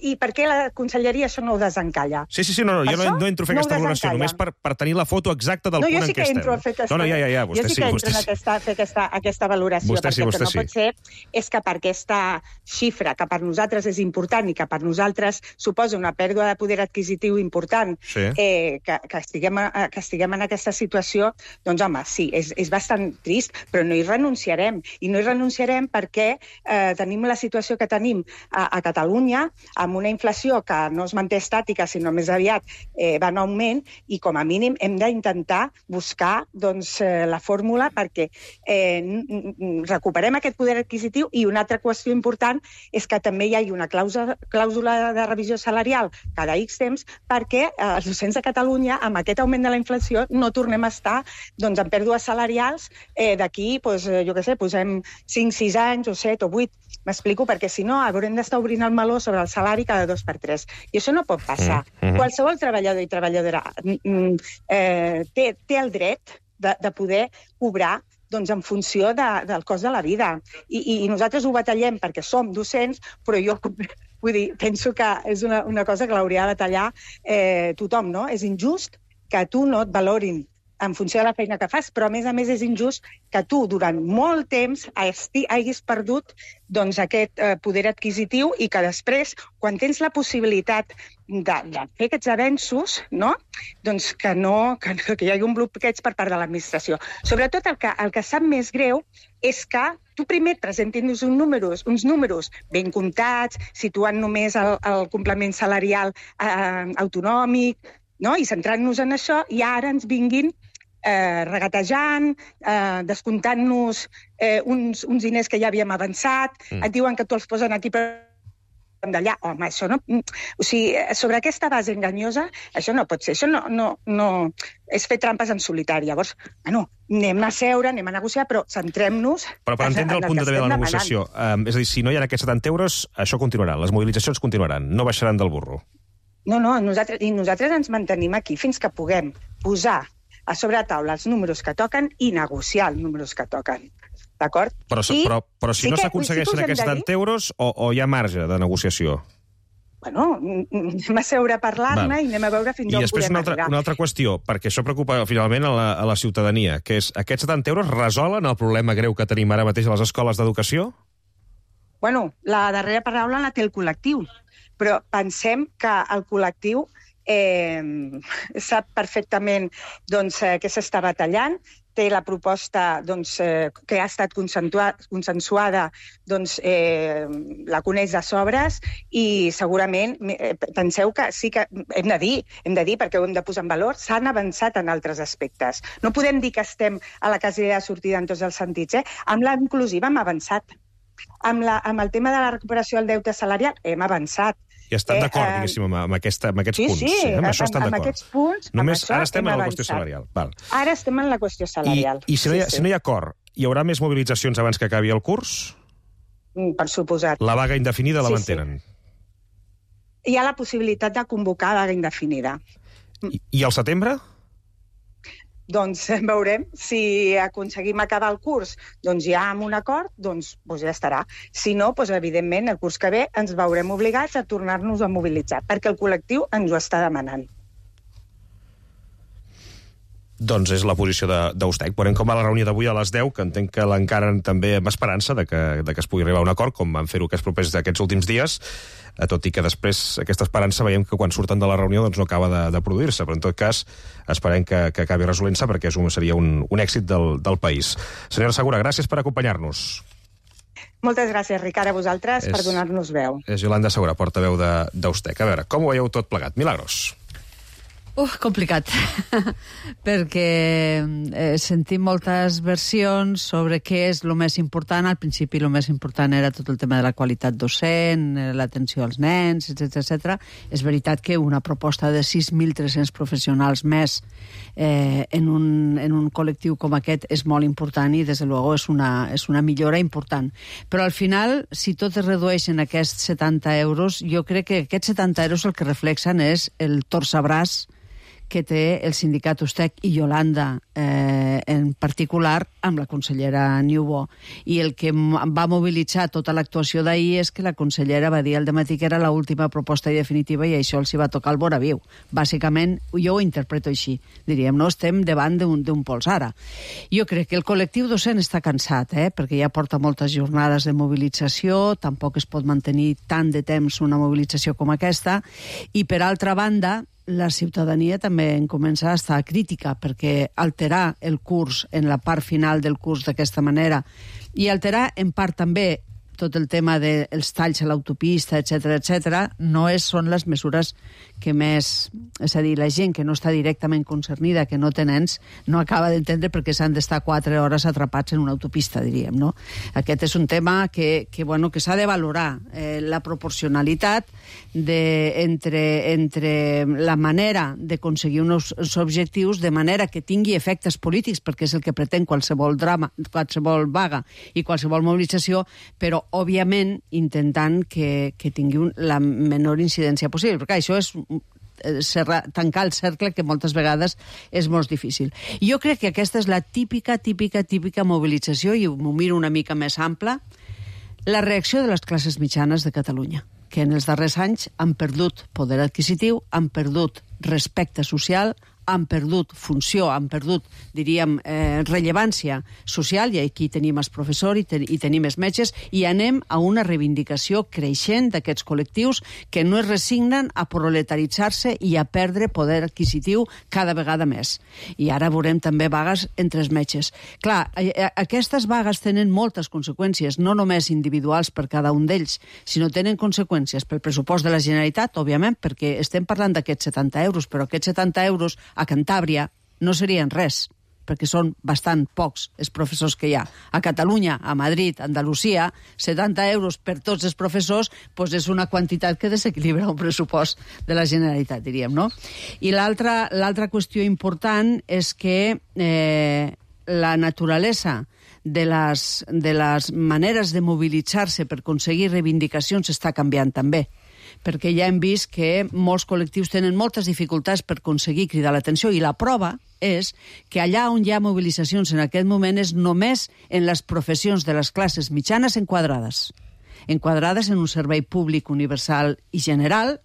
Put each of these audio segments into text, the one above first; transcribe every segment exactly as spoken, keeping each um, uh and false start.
i per què la conselleria això no ho desencalla? Sí, sí, sí, no, no, jo no, no entro a fer no aquesta valoració, només per, per tenir la foto exacta del no, punt en sí què estem. No, jo sí que entro a fer aquesta, no, no, ja, ja, ja, vostè jo sí sí, que vostè entro sí. a aquesta, fer aquesta, aquesta valoració, vostè sí, perquè vostè el que no sí. pot ser és que per aquesta xifra, que per nosaltres és important i que per nosaltres suposa una pèrdua de poder adquisitiu important, sí. eh, que, que, estiguem, que estiguem en aquesta situació, doncs home, sí, és, és bastant trist, però no hi renunciarem. I no hi renunciarem perquè eh, tenim la situació que tenim a, a Catalunya, amb una inflació que no es manté estàtica, sinó més aviat eh, va en augment, i com a mínim hem d'intentar buscar doncs, eh, la fórmula perquè eh, recuperem aquest poder adquisitiu. I una altra qüestió important és que també hi hagi una clàusula, clàusula de revisió salarial cada X temps perquè eh, els docents de Catalunya, amb aquest augment de la inflació, no tornem a estar doncs, en pèrdues salarials eh, d'aquí, doncs, jo què sé, posem cinc, sis anys o set o vuit. M'explico? Perquè si no haurem d'estar obrint el meló sobre el salari cada dos per tres. I això no pot passar. Mm -hmm. Qualsevol treballador i treballadora eh, té, té el dret de, de poder cobrar doncs, en funció de, del cost de la vida. I, i nosaltres ho batallem perquè som docents, però jo vull dir, penso que és una, una cosa que l'hauria de batallar eh, tothom, no? És injust que tu no et valorin en funció de la feina que fas, però a més a més és injust que tu durant molt temps hagis perdut doncs, aquest eh, poder adquisitiu i que després, quan tens la possibilitat de, de fer aquests avenços, no? doncs que, no, que, que hi hagi un bloqueig per part de l'administració. Sobretot el que, el que sap més greu és que tu primer et presentin uns números, uns números ben comptats, situant només el, el complement salarial eh, autonòmic, no? I centrant-nos en això, i ara ens vinguin eh, regatejant, eh, descomptant-nos eh, uns, uns diners que ja havíem avançat, mm. et diuen que tu els posen aquí per d'allà. Home, això no... O sigui, sobre aquesta base enganyosa, això no pot ser. Això no, no, no... és fer trampes en solitari. Llavors, bueno, anem a seure, anem a negociar, però centrem-nos... Però per entendre el punt de vista de la negociació, eh, és a dir, si no hi ha aquests setanta euros, això continuarà, les mobilitzacions continuaran, no baixaran del burro. No, no, nosaltres, i nosaltres ens mantenim aquí fins que puguem posar a sobre la taula els números que toquen i negociar els números que toquen. D'acord? Però, però, però si sí no s'aconsegueixen sí aquests setanta euros, o, o hi ha marge de negociació? Bueno, anem a seure a parlar-ne i anem a veure fins on podem arribar. I després una altra, una altra qüestió, perquè això preocupa finalment a la, a la ciutadania, que és, aquests setanta euros resolen el problema greu que tenim ara mateix a les escoles d'educació? Bueno, la darrera paraula la té el col·lectiu, però pensem que el col·lectiu eh, sap perfectament doncs, eh, què s'està batallant, té la proposta doncs, eh, que ha estat consensuada, doncs, eh, la coneix de sobres i segurament eh, penseu que sí que hem de dir, hem de dir perquè ho hem de posar en valor, s'han avançat en altres aspectes. No podem dir que estem a la casella de sortida en tots els sentits. Eh? Amb la inclusiva hem avançat. Amb, la, amb el tema de la recuperació del deute salarial hem avançat. I estan d'acord, eh, diguéssim, amb, amb, aquesta, amb aquests sí, punts. Sí, sí, amb això estan amb d'acord. aquests punts, només amb ara estem en la avançat. qüestió salarial. Val. Ara estem en la qüestió salarial. I, i si, no hi ha, sí, sí. si no hi ha acord, hi haurà més mobilitzacions abans que acabi el curs? Per suposat. La vaga indefinida la sí, mantenen? Sí. Hi ha la possibilitat de convocar vaga indefinida. I, i al setembre? Doncs veurem. Si aconseguim acabar el curs doncs ja amb un acord, doncs, doncs ja estarà. Si no, doncs, evidentment, el curs que ve ens veurem obligats a tornar-nos a mobilitzar, perquè el col·lectiu ens ho està demanant. Doncs és la posició d'Eustec. Veurem com va la reunió d'avui a les deu, que entenc que l'encaren també amb esperança de que, de que es pugui arribar a un acord, com van fer-ho aquests propers d'aquests últims dies, tot i que després aquesta esperança veiem que quan surten de la reunió doncs no acaba de, de produir-se, però en tot cas esperem que, que acabi resolent-se perquè és un, seria un, un èxit del, del país. Senyora Segura, gràcies per acompanyar-nos. Moltes gràcies, Ricard, a vosaltres és, per donar-nos veu. És Yolanda Segura, portaveu d'Eustec. A veure, com ho veieu tot plegat? Milagros. Uf, complicat, perquè eh, sentim moltes versions sobre què és el més important. Al principi el més important era tot el tema de la qualitat docent, l'atenció als nens, etcètera, etcètera. És veritat que una proposta de sis mil tres-cents professionals més eh, en, un, en un col·lectiu com aquest és molt important i, des de luego, és una, és una millora important. Però al final, si tot es redueix en aquests setanta euros, jo crec que aquests setanta euros el que reflexen és el torçabràs que té el sindicat Ustec i Yolanda eh, en particular amb la consellera Niubó. I el que va mobilitzar tota l'actuació d'ahir és que la consellera va dir al dematí que era l'última proposta i definitiva i això els hi va tocar el vora viu. Bàsicament, jo ho interpreto així. Diríem, no estem davant d'un pols ara. Jo crec que el col·lectiu docent està cansat, eh, perquè ja porta moltes jornades de mobilització, tampoc es pot mantenir tant de temps una mobilització com aquesta, i per altra banda, la ciutadania també en comença a estar crítica, perquè alterar el curs en la part final del curs d'aquesta manera i alterar en part també tot el tema dels talls a l'autopista, etcètera, etcètera, no és, són les mesures que més... És a dir, la gent que no està directament concernida, que no té nens, no acaba d'entendre perquè s'han d'estar quatre hores atrapats en una autopista, diríem, no? Aquest és un tema que, que, bueno, que s'ha de valorar, eh, la proporcionalitat de, entre, entre la manera d'aconseguir uns, uns objectius de manera que tingui efectes polítics, perquè és el que pretén qualsevol drama, qualsevol vaga i qualsevol mobilització, però òbviament intentant que, que tingui un, la menor incidència possible, perquè això és cerrar, tancar el cercle que moltes vegades és molt difícil. I jo crec que aquesta és la típica, típica, típica mobilització, i m'ho miro una mica més ampla, la reacció de les classes mitjanes de Catalunya, que en els darrers anys han perdut poder adquisitiu, han perdut respecte social, han perdut funció, han perdut, diríem, eh, rellevància social, i aquí tenim els professors i, ten i tenim els metges, i anem a una reivindicació creixent d'aquests col·lectius que no es resignen a proletaritzar-se i a perdre poder adquisitiu cada vegada més. I ara veurem també vagues entre els metges. Clar, aquestes vagues tenen moltes conseqüències, no només individuals per cada un d'ells, sinó tenen conseqüències pel pressupost de la Generalitat, òbviament, perquè estem parlant d'aquests setanta euros, però aquests setanta euros a Cantàbria no serien res, perquè són bastant pocs els professors que hi ha. A Catalunya, a Madrid, a Andalusia, setanta euros per tots els professors doncs és una quantitat que desequilibra un pressupost de la Generalitat, diríem, no? I l'altra l'altra qüestió important és que eh, la naturalesa de les, de les maneres de mobilitzar-se per aconseguir reivindicacions està canviant també, perquè ja hem vist que molts col·lectius tenen moltes dificultats per aconseguir cridar l'atenció, i la prova és que allà on hi ha mobilitzacions en aquest moment és només en les professions de les classes mitjanes enquadrades, enquadrades en un servei públic universal i general,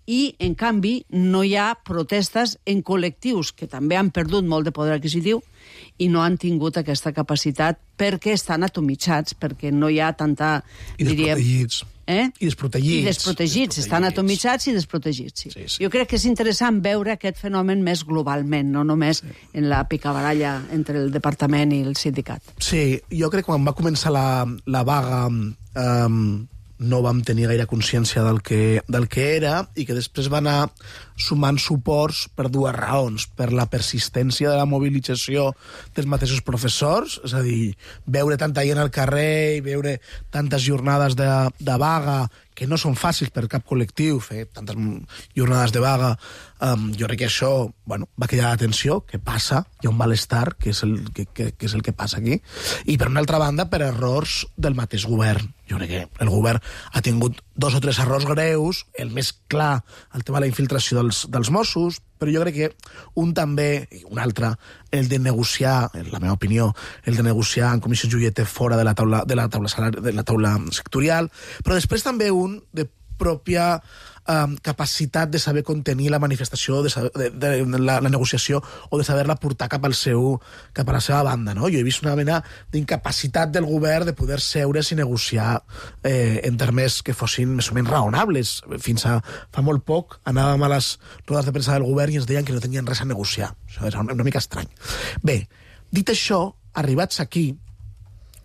i, en canvi, no hi ha protestes en col·lectius que també han perdut molt de poder adquisitiu i no han tingut aquesta capacitat perquè estan atomitzats, perquè no hi ha tanta... I desprotegits. Eh? I desprotegits. I desprotegits, estan atomitzats i desprotegits, sí. Sí, sí. Jo crec que és interessant veure aquest fenomen més globalment, no només sí. en la picabaralla entre el departament i el sindicat. Sí, jo crec que quan va començar la, la vaga... Um, no vam tenir gaire consciència del que, del que era, i que després va anar sumant suports per dues raons. Per la persistència de la mobilització dels mateixos professors, és a dir, veure tanta gent al carrer i veure tantes jornades de, de vaga, que no són fàcils per cap col·lectiu, fer tantes jornades de vaga, um, jo crec que això bueno, va cridar l'atenció, que passa, hi ha un malestar, que és, el, que, que, que és el que passa aquí, i per una altra banda, per errors del mateix govern. Jo crec que el govern ha tingut dos o tres errors greus, el més clar, el tema de la infiltració dels, dels Mossos, però jo crec que un també, i un altre, el de negociar, en la meva opinió, el de negociar en comissió Joieter fora de la taula, de la taula, salari, de la taula sectorial, però després també un de pròpia um, capacitat de saber contenir la manifestació, de, saber, de, de, de la, la negociació, o de saber-la portar cap al seu, cap a la seva banda, no? Jo he vist una mena d'incapacitat del govern de poder seure's i negociar eh, en termes que fossin més o menys raonables. Fins a fa molt poc anàvem a les rodes de premsa del govern i ens deien que no tenien res a negociar. Això és una mica estrany. Bé, dit això, arribats aquí,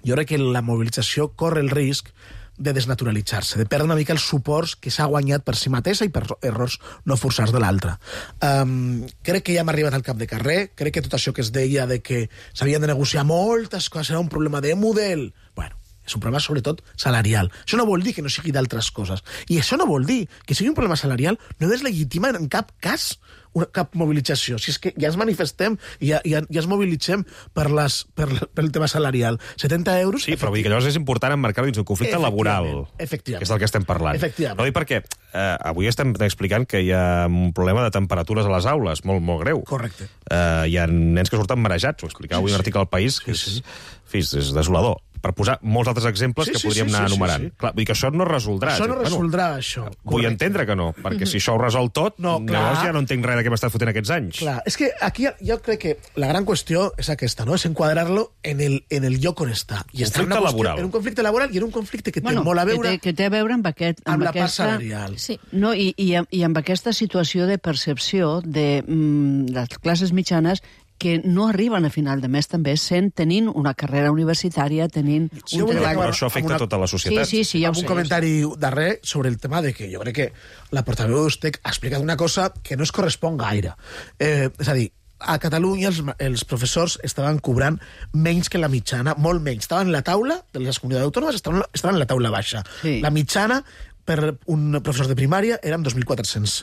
jo crec que la mobilització corre el risc de desnaturalitzar-se, de perdre una mica els suports que s'ha guanyat per si mateixa i per errors no forçats de l'altra. Um, crec que ja hem arribat al cap de carrer, crec que tot això que es deia de que s'havien de negociar moltes coses, era un problema de model, bueno, és un problema sobretot salarial. Això no vol dir que no sigui d'altres coses. I això no vol dir que sigui un problema salarial no deslegitima en cap cas una, cap mobilització. Si és que ja ens manifestem i ja, ja, ja ens mobilitzem per, les, per, per el tema salarial. setanta euros... Sí, però vull dir que llavors és important emmarcar-ho dins un conflicte laboral. Efectivament. Que és del que estem parlant. Efectivament. No, i perquè eh, avui estem explicant que hi ha un problema de temperatures a les aules, molt, molt greu. Correcte. Eh, hi ha nens que surten marejats. Ho explicava avui Sí, un article al País que sí, sí. és, és desolador. Per posar molts altres exemples Sí, que sí, podríem sí, anar sí, enumerant. sí, sí. Clar, vull dir que això no resoldrà. Això no Bueno, resoldrà, això. Vull Correcte. entendre que no, perquè si això ho resol tot, No, clar. llavors ja no entenc res de què m'estàs fotent aquests anys. Clar, és que aquí jo crec que la gran qüestió és aquesta, no? És enquadrar-lo en el, en el lloc on està. I està en Conflicte una qüestió- laboral. En un conflicte laboral i en un conflicte que té Bueno, molt a veure que té, que té a veure amb, aquest, amb la part aquesta, salarial. Sí. No, i, i, amb- i amb aquesta situació de percepció de mm, les classes mitjanes que no arriben a final de mes també sent tenint una carrera universitària, tenint Sí, un jo volia treball... Però això afecta amb una- tota la societat. Sí, sí, sí, ja ho amb un sé. comentari darrer sobre el tema de que jo crec que la portaveu d'Ustec ha explicat una cosa que no es correspon gaire. Eh, és a dir, a Catalunya els, els professors estaven cobrant menys que la mitjana, molt menys. Estaven en la taula de les comunitats autònomes, estaven, estaven en la taula baixa. Sí. La mitjana per un professor de primària eren dos mil quatre-cents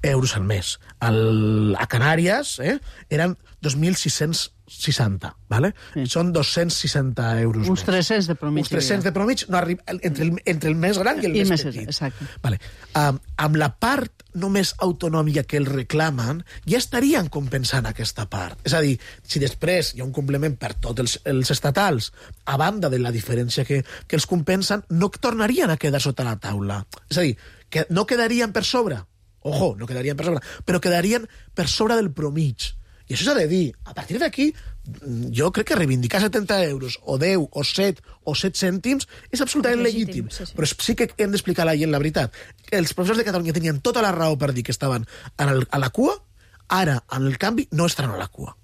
euros al mes. Al, a Canàries eh, eren dos mil sis-cents seixanta, ¿vale? Sí. Són dos-cents seixanta euros Uns més. tres-cents de promig. Uns tres-cents de promig no arriba, entre, el, entre el més gran i el I més més- petit. exacte. Vale. Um, amb la part només autonòmica que el reclamen, ja estarien compensant aquesta part. És a dir, si després hi ha un complement per tots els, els estatals, a banda de la diferència que, que els compensen, no tornarien a quedar sota la taula. És a dir, que no quedarien per sobre, ojo, no quedarien per sobre, però quedarien per sobre del promig. I això s'ha de dir. A partir d'aquí, jo crec que reivindicar setanta euros, o deu, o set, o set cèntims, és absolutament És legítim. legítim, sí, sí. Però sí que hem d'explicar a la gent la veritat. Els professors de Catalunya tenien tota la raó per dir que estaven en el, a la cua, ara, en el canvi, no estaran a la cua.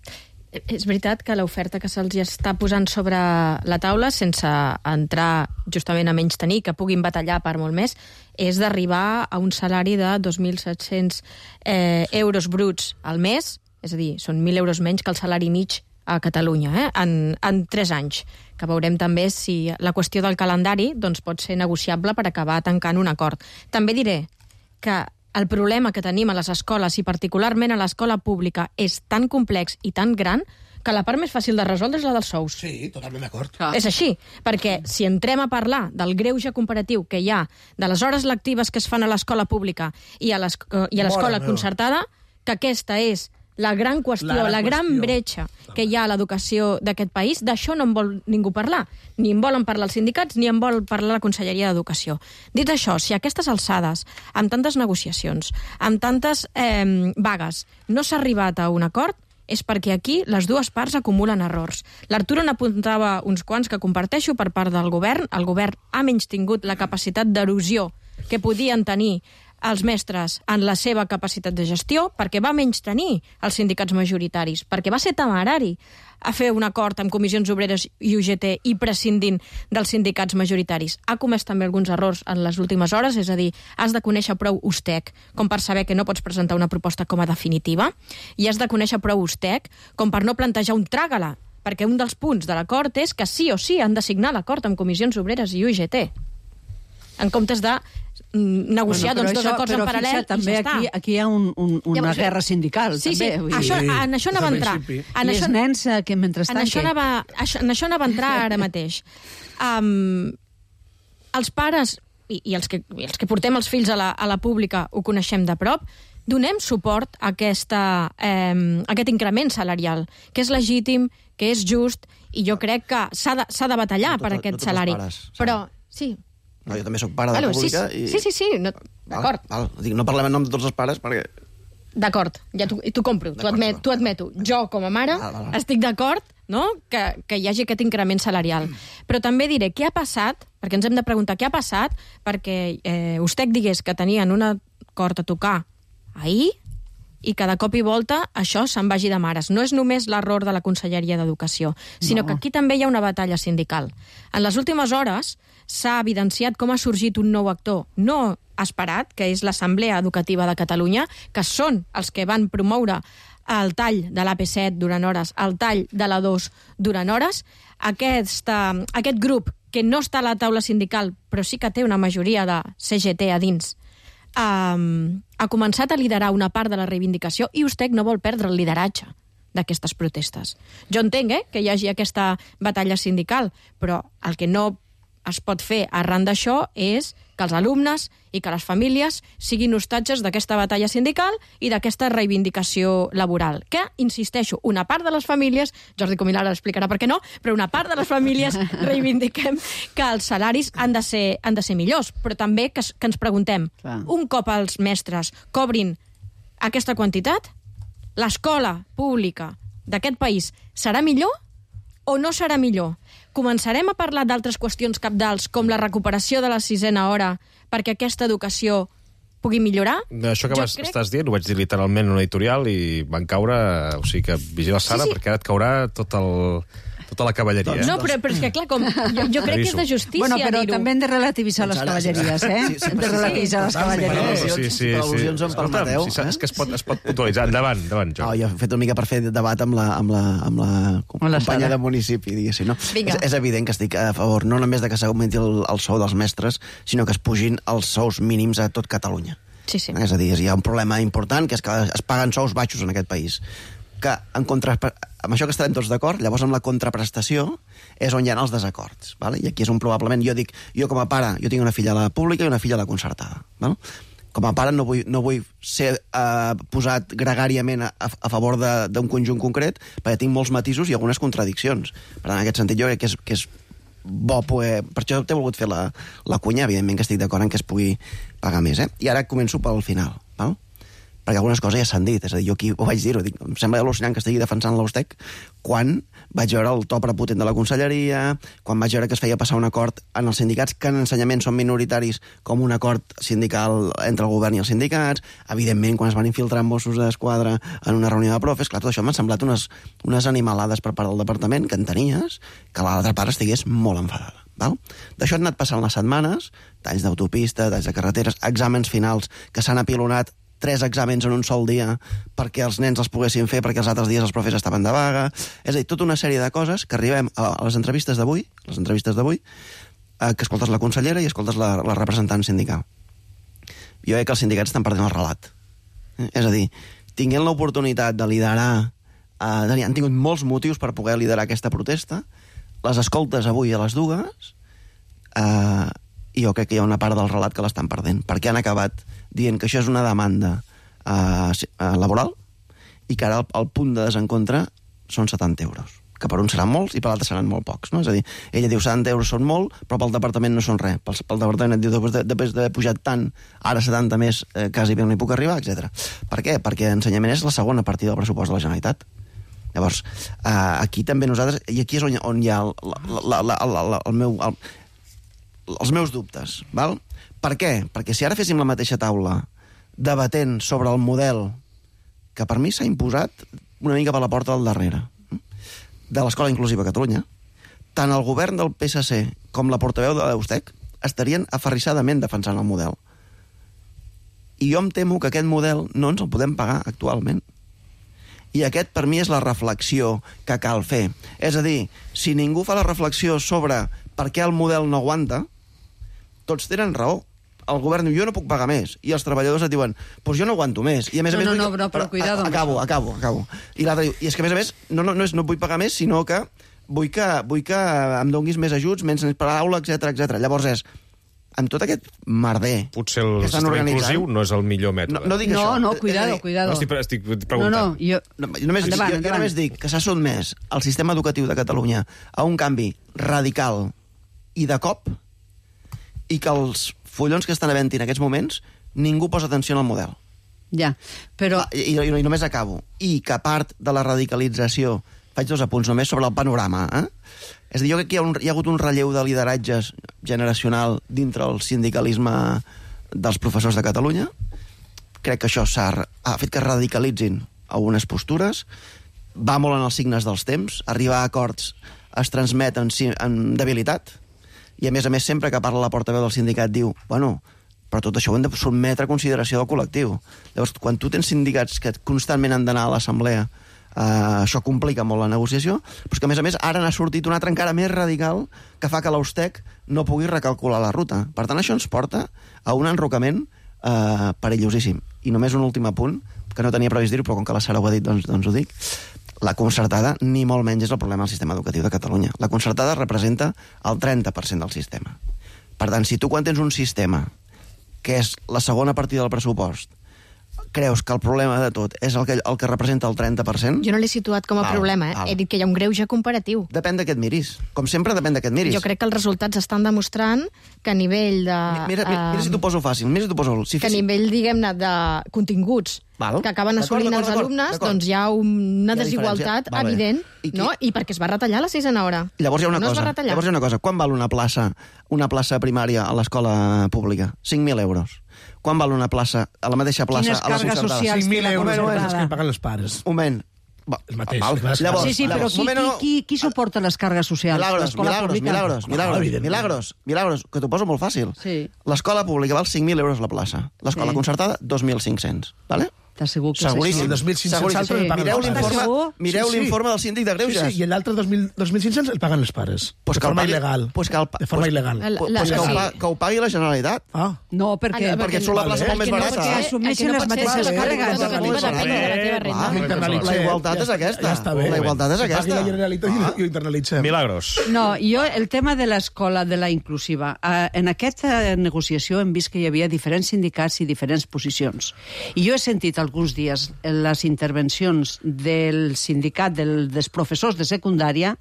És veritat que l'oferta que se'ls està posant sobre la taula, sense entrar justament a menys tenir, que puguin batallar per molt més, és d'arribar a un salari de dos mil set-cents eh, euros bruts al mes, és a dir, són mil euros menys que el salari mig a Catalunya, eh? en, en tres anys, que veurem també si la qüestió del calendari doncs, pot ser negociable per acabar tancant un acord. També diré que el problema que tenim a les escoles, i particularment a l'escola pública, és tan complex i tan gran que la part més fàcil de resoldre és la dels sous. Sí, totalment d'acord. Clar. És així, perquè si entrem a parlar del greuge comparatiu que hi ha de les hores lectives que es fan a l'escola pública i a l'es- i a l'escola Mare meva. concertada, que aquesta és la gran qüestió, La la, gran gran qüestió. bretxa que hi ha a l'educació d'aquest país, d'això no en vol ningú parlar. Ni en volen parlar els sindicats, ni en vol parlar la Conselleria d'Educació. Dit això, si a aquestes alçades, amb tantes negociacions, amb tantes eh, vagues, no s'ha arribat a un acord, és perquè aquí les dues parts acumulen errors. L'Arturo n'apuntava uns quants que comparteixo per part del govern. El govern ha menys tingut la capacitat d'erosió que podien tenir els mestres en la seva capacitat de gestió, perquè va menys tenir els sindicats majoritaris, perquè va ser temerari a fer un acord amb comissions obreres i U G T i prescindint dels sindicats majoritaris. Ha comès també alguns errors en les últimes hores, és a dir, has de conèixer prou Ustec com per saber que no pots presentar una proposta com a definitiva, i has de conèixer prou Ustec com per no plantejar un tràgala, perquè un dels punts de l'acord és que sí o sí han de signar l'acord amb comissions obreres i U G T, en comptes de mm, negociar Bueno, doncs, dos això- acords però en paral·lel fixa, també i ja aquí, està. aquí hi ha un, un, una Llavors, guerra sindical, Sí, també. sí, vull dir. això, dir. en això anava a Des del entrar. principi. En I això, els nens eh, que en mentrestant... això, què? anava, això, en això anava a entrar ara mateix. Um, els pares i, i, els que, i els que portem els fills a la, a la pública ho coneixem de prop, donem suport a, aquesta, eh, a aquest increment salarial, que és legítim, que és just, i jo crec que s'ha de, s'ha de batallar No tot- per no aquest tots els salari. pares, saps? Però, sí, No, jo també sóc pare de Bueno, sí, pública i... sí, sí, sí, no, d'acord. Val, val. Dic, no parlem en nom de tots els pares perquè... D'acord, ja t'ho t'ho compro, t'ho D'acord, admet, d'acord. t'ho admeto. Jo, com a mare, Val, val, val. estic d'acord, no?, que, que hi hagi aquest increment salarial. Però també diré què ha passat, perquè ens hem de preguntar què ha passat, perquè eh, Ustec digués que tenien un acord a tocar ahir i que de cop i volta això se'n vagi de mares. No és només l'error de la Conselleria d'Educació, sinó No. que aquí també hi ha una batalla sindical. En les últimes hores s'ha evidenciat com ha sorgit un nou actor no esperat, que és l'Assemblea Educativa de Catalunya, que són els que van promoure el tall de l'A P set durant hores, el tall de l'A dos durant hores. Aquesta, aquest grup, que no està a la taula sindical, però sí que té una majoria de C G T a dins, um, ha començat a liderar una part de la reivindicació i Ustec no vol perdre el lideratge d'aquestes protestes. Jo entenc eh, que hi hagi aquesta batalla sindical, però el que no es pot fer arran d'això és que els alumnes i que les famílies siguin hostatges d'aquesta batalla sindical i d'aquesta reivindicació laboral. Que, insisteixo, una part de les famílies, Jordi Comín ara explicarà per què no, però una part de les famílies reivindiquem que els salaris han de ser, han de ser millors, però també que, que ens preguntem, Clar. un cop els mestres cobrin aquesta quantitat, l'escola pública d'aquest país serà millor o no serà millor? Començarem a parlar d'altres qüestions cabdals, com la recuperació de la sisena hora, perquè aquesta educació pugui millorar? Això que vas, crec... estàs dient, ho vaig dir literalment en una editorial i van caure... O sigui que vigila Sara, sí, sí. perquè ara et caurà tot el... tota la cavalleria. No, però, però és que, clar, com, jo, jo crec que és de justícia bueno, però dir-ho. també hem de relativitzar les cavalleries, eh? Sí, sí, hem de relativitzar les cavalleries. Sí, sí, sí. Al·lusions em permeteu. Sí, és que es pot, es pot puntualitzar. Endavant, endavant, Jo. No, jo he fet una mica per fer debat amb la, amb la, amb la companya de municipi, diguéssim. No? És, és evident que estic a favor no només de que s'augmenti el, el sou dels mestres, sinó que es pugin els sous mínims a tot Catalunya. Sí, sí. És a dir, hi ha un problema important, que és que es paguen sous baixos en aquest país. Que en contra... amb això que estarem tots d'acord, llavors amb la contraprestació és on hi ha els desacords. Vale? I aquí és on probablement jo dic, jo com a pare, jo tinc una filla a la pública i una filla a la concertada. Vale? Com a pare no vull, no vull ser uh, posat gregàriament a, a favor d'un conjunt concret, perquè tinc molts matisos i algunes contradiccions. Per tant, en aquest sentit, jo crec que és, que és bo poder... Per això t'he volgut fer la, la cunya, evidentment que estic d'acord en que es pugui pagar més. Eh? I ara començo pel final. Val? Perquè algunes coses ja s'han dit, és a dir, jo aquí ho vaig dir-ho, dic, em sembla al·lucinant que estigui defensant l'Ustec quan vaig veure el to prepotent de la conselleria, quan vaig veure que es feia passar un acord en els sindicats, que en ensenyament són minoritaris, com un acord sindical entre el govern i els sindicats, evidentment, quan es van infiltrar Mossos d'Esquadra en una reunió de profes, clar, tot això m'han semblat unes, unes animalades per part del departament, que entenies que l'altra part estigués molt enfadada. Val? D'això han anat passant les setmanes, talls d'autopista, talls de carreteres, exàmens finals que s'han apilonat tres exàmens en un sol dia perquè els nens els poguessin fer, perquè els altres dies els profes estaven de vaga. És a dir, tota una sèrie de coses que arribem a les entrevistes d'avui, les entrevistes d'avui, eh, que escoltes la consellera i escoltes la, la representant sindical. Jo crec que els sindicats estan perdent el relat. Eh? És a dir, tinguent l'oportunitat de liderar, eh, han tingut molts motius per poder liderar aquesta protesta, les escoltes avui a les dues, eh, i jo crec que hi ha una part del relat que l'estan perdent, perquè han acabat dient que això és una demanda eh, laboral i que ara el, el punt de desencontre són setanta euros, que per un seran molts i per l'altre seran molt pocs. No? És a dir, ella diu setanta euros són molt, però pel departament no són res. Pel, pel departament et diu, després d'haver pujat tant, ara setanta més, eh, quasi bé no hi puc arribar, etcètera. Per què? Perquè ensenyament és la segona partida del pressupost de la Generalitat. Llavors, eh, aquí també nosaltres, i aquí és on, on hi ha el, la, la, la, la, el meu... El, els meus dubtes, val? Per què? Perquè si ara féssim la mateixa taula debatent sobre el model que per mi s'ha imposat una mica per la porta del darrere de l'Escola Inclusiva a Catalunya, tant el govern del P S C com la portaveu de l'Eustec estarien aferrissadament defensant el model. I jo em temo que aquest model no ens el podem pagar actualment. I aquest, per mi, és la reflexió que cal fer. És a dir, si ningú fa la reflexió sobre per què el model no aguanta, tots tenen raó. El govern diu, jo no puc pagar més. I els treballadors et diuen, pues jo no aguanto més. I a més no, a més... No, no, vull... no, però cuidado. Acabo, acabo, acabo. I l'altre diu, i és que a més a més, no, no, no, és, no vull pagar més, sinó que vull que, vull que em donguis més ajuts, menys per aula, etcètera, etcètera. Llavors és, amb tot aquest merder... Potser el sistema inclusiu no és el millor mètode. No, no dic no, això. No, cuidado, cuidado. No, estic, estic preguntant. No, no, jo... No, només, endavant, jo, jo endavant. només dic que s'ha sotmès el sistema educatiu de Catalunya a un canvi radical i de cop, i que els follons que estan havent en aquests moments ningú posa atenció en el model. Ja, però... Ah, i, i, I només acabo. I que a part de la radicalització, faig dos apunts només sobre el panorama, eh? És a dir, jo crec que hi ha, un, hi ha hagut un relleu de lideratges generacional dintre el sindicalisme dels professors de Catalunya. Crec que això s'ha ha fet que radicalitzin algunes postures, va molt en els signes dels temps, arribar a acords es transmet en, en debilitat, i a més a més sempre que parla la portaveu del sindicat diu, bueno, però tot això ho hem de sotmetre a consideració del col·lectiu. Llavors, quan tu tens sindicats que constantment han d'anar a l'assemblea, uh, això complica molt la negociació, però que, a més a més, ara n'ha sortit un altre encara més radical que fa que l'Austec no pugui recalcular la ruta. Per tant, això ens porta a un enrocament uh, perillosíssim. I només un últim apunt, que no tenia previst dir-ho, però com que la Sara ho ha dit, doncs, doncs ho dic. La concertada, ni molt menys, és el problema del sistema educatiu de Catalunya. La concertada representa el trenta per cent del sistema. Per tant, si tu quan tens un sistema que és la segona partida del pressupost, creus que el problema de tot és el que, el que representa el trenta per cent... Jo no l'he situat com a val, problema, eh? val. He dit que hi ha un greuge comparatiu. Depèn de què et miris. Com sempre, depèn de què et miris. Jo crec que els resultats estan demostrant que a nivell de... Mira, mira, mira si t'ho poso fàcil, mira si t'ho poso... Si que a nivell, diguem-ne, de continguts Val. que acaben assolint els alumnes, doncs hi ha una Hi ha desigualtat diferència. evident, I qui- no? I perquè es va retallar la sisena hora. Llavors hi ha una no es cosa. va retallar. Llavors hi ha una cosa. Quan val una plaça, una plaça primària a l'escola pública? cinc mil euros. Quan val una plaça, a la mateixa plaça, Quines a la càrregues concertada? socials cinc mil té la euros concertada? és el que paguen els pares. Un moment. Va, El mateix. val. Llavors, Llavors, Sí, sí, però llavors, qui, moment, qui, no, qui, qui suporta les càrregues socials? Milagros, L'escola milagros, pública? milagros, milagros, Ah, evidentment. milagros, milagros, que t'ho poso molt fàcil. Sí. L'escola pública val cinc mil euros la plaça. L'escola Sí. concertada, dos mil cinc-cents. Vale? T'as segur que Seguríssim. El dos mil cinc-cents Seguríssim. altres el paguen Mireu els pares. l'informe Segur? mireu Sí, sí. l'informe del síndic de Sí, Greuges. sí, i l'altre dos mil cinc cents el paguen els pares. Pues de que el forma pagui- il·legal. pues que el pa- de forma pues- il·legal. La- Pues la- que, ho sí. pa, que ho pagui la Generalitat. Ah, No, perquè... Ah, no, perquè et surt la plaça el molt més que no barata. pot ser- Assumeixen el que no les pot ser mateixes és que càrregues. la educativa depèn de la teva renda. Ah, ho internalitzem. la igualtat és aquesta. Ja està bé. La igualtat és Que aquesta. pagui la Generalitat i ho internalitzem. Milagros. No, jo, el tema de l'escola, de la inclusiva, eh, en aquesta negociació hem vist que hi havia diferents sindicats i diferents posicions. I jo he sentit alguns dies les intervencions del sindicat del, dels professors de secundària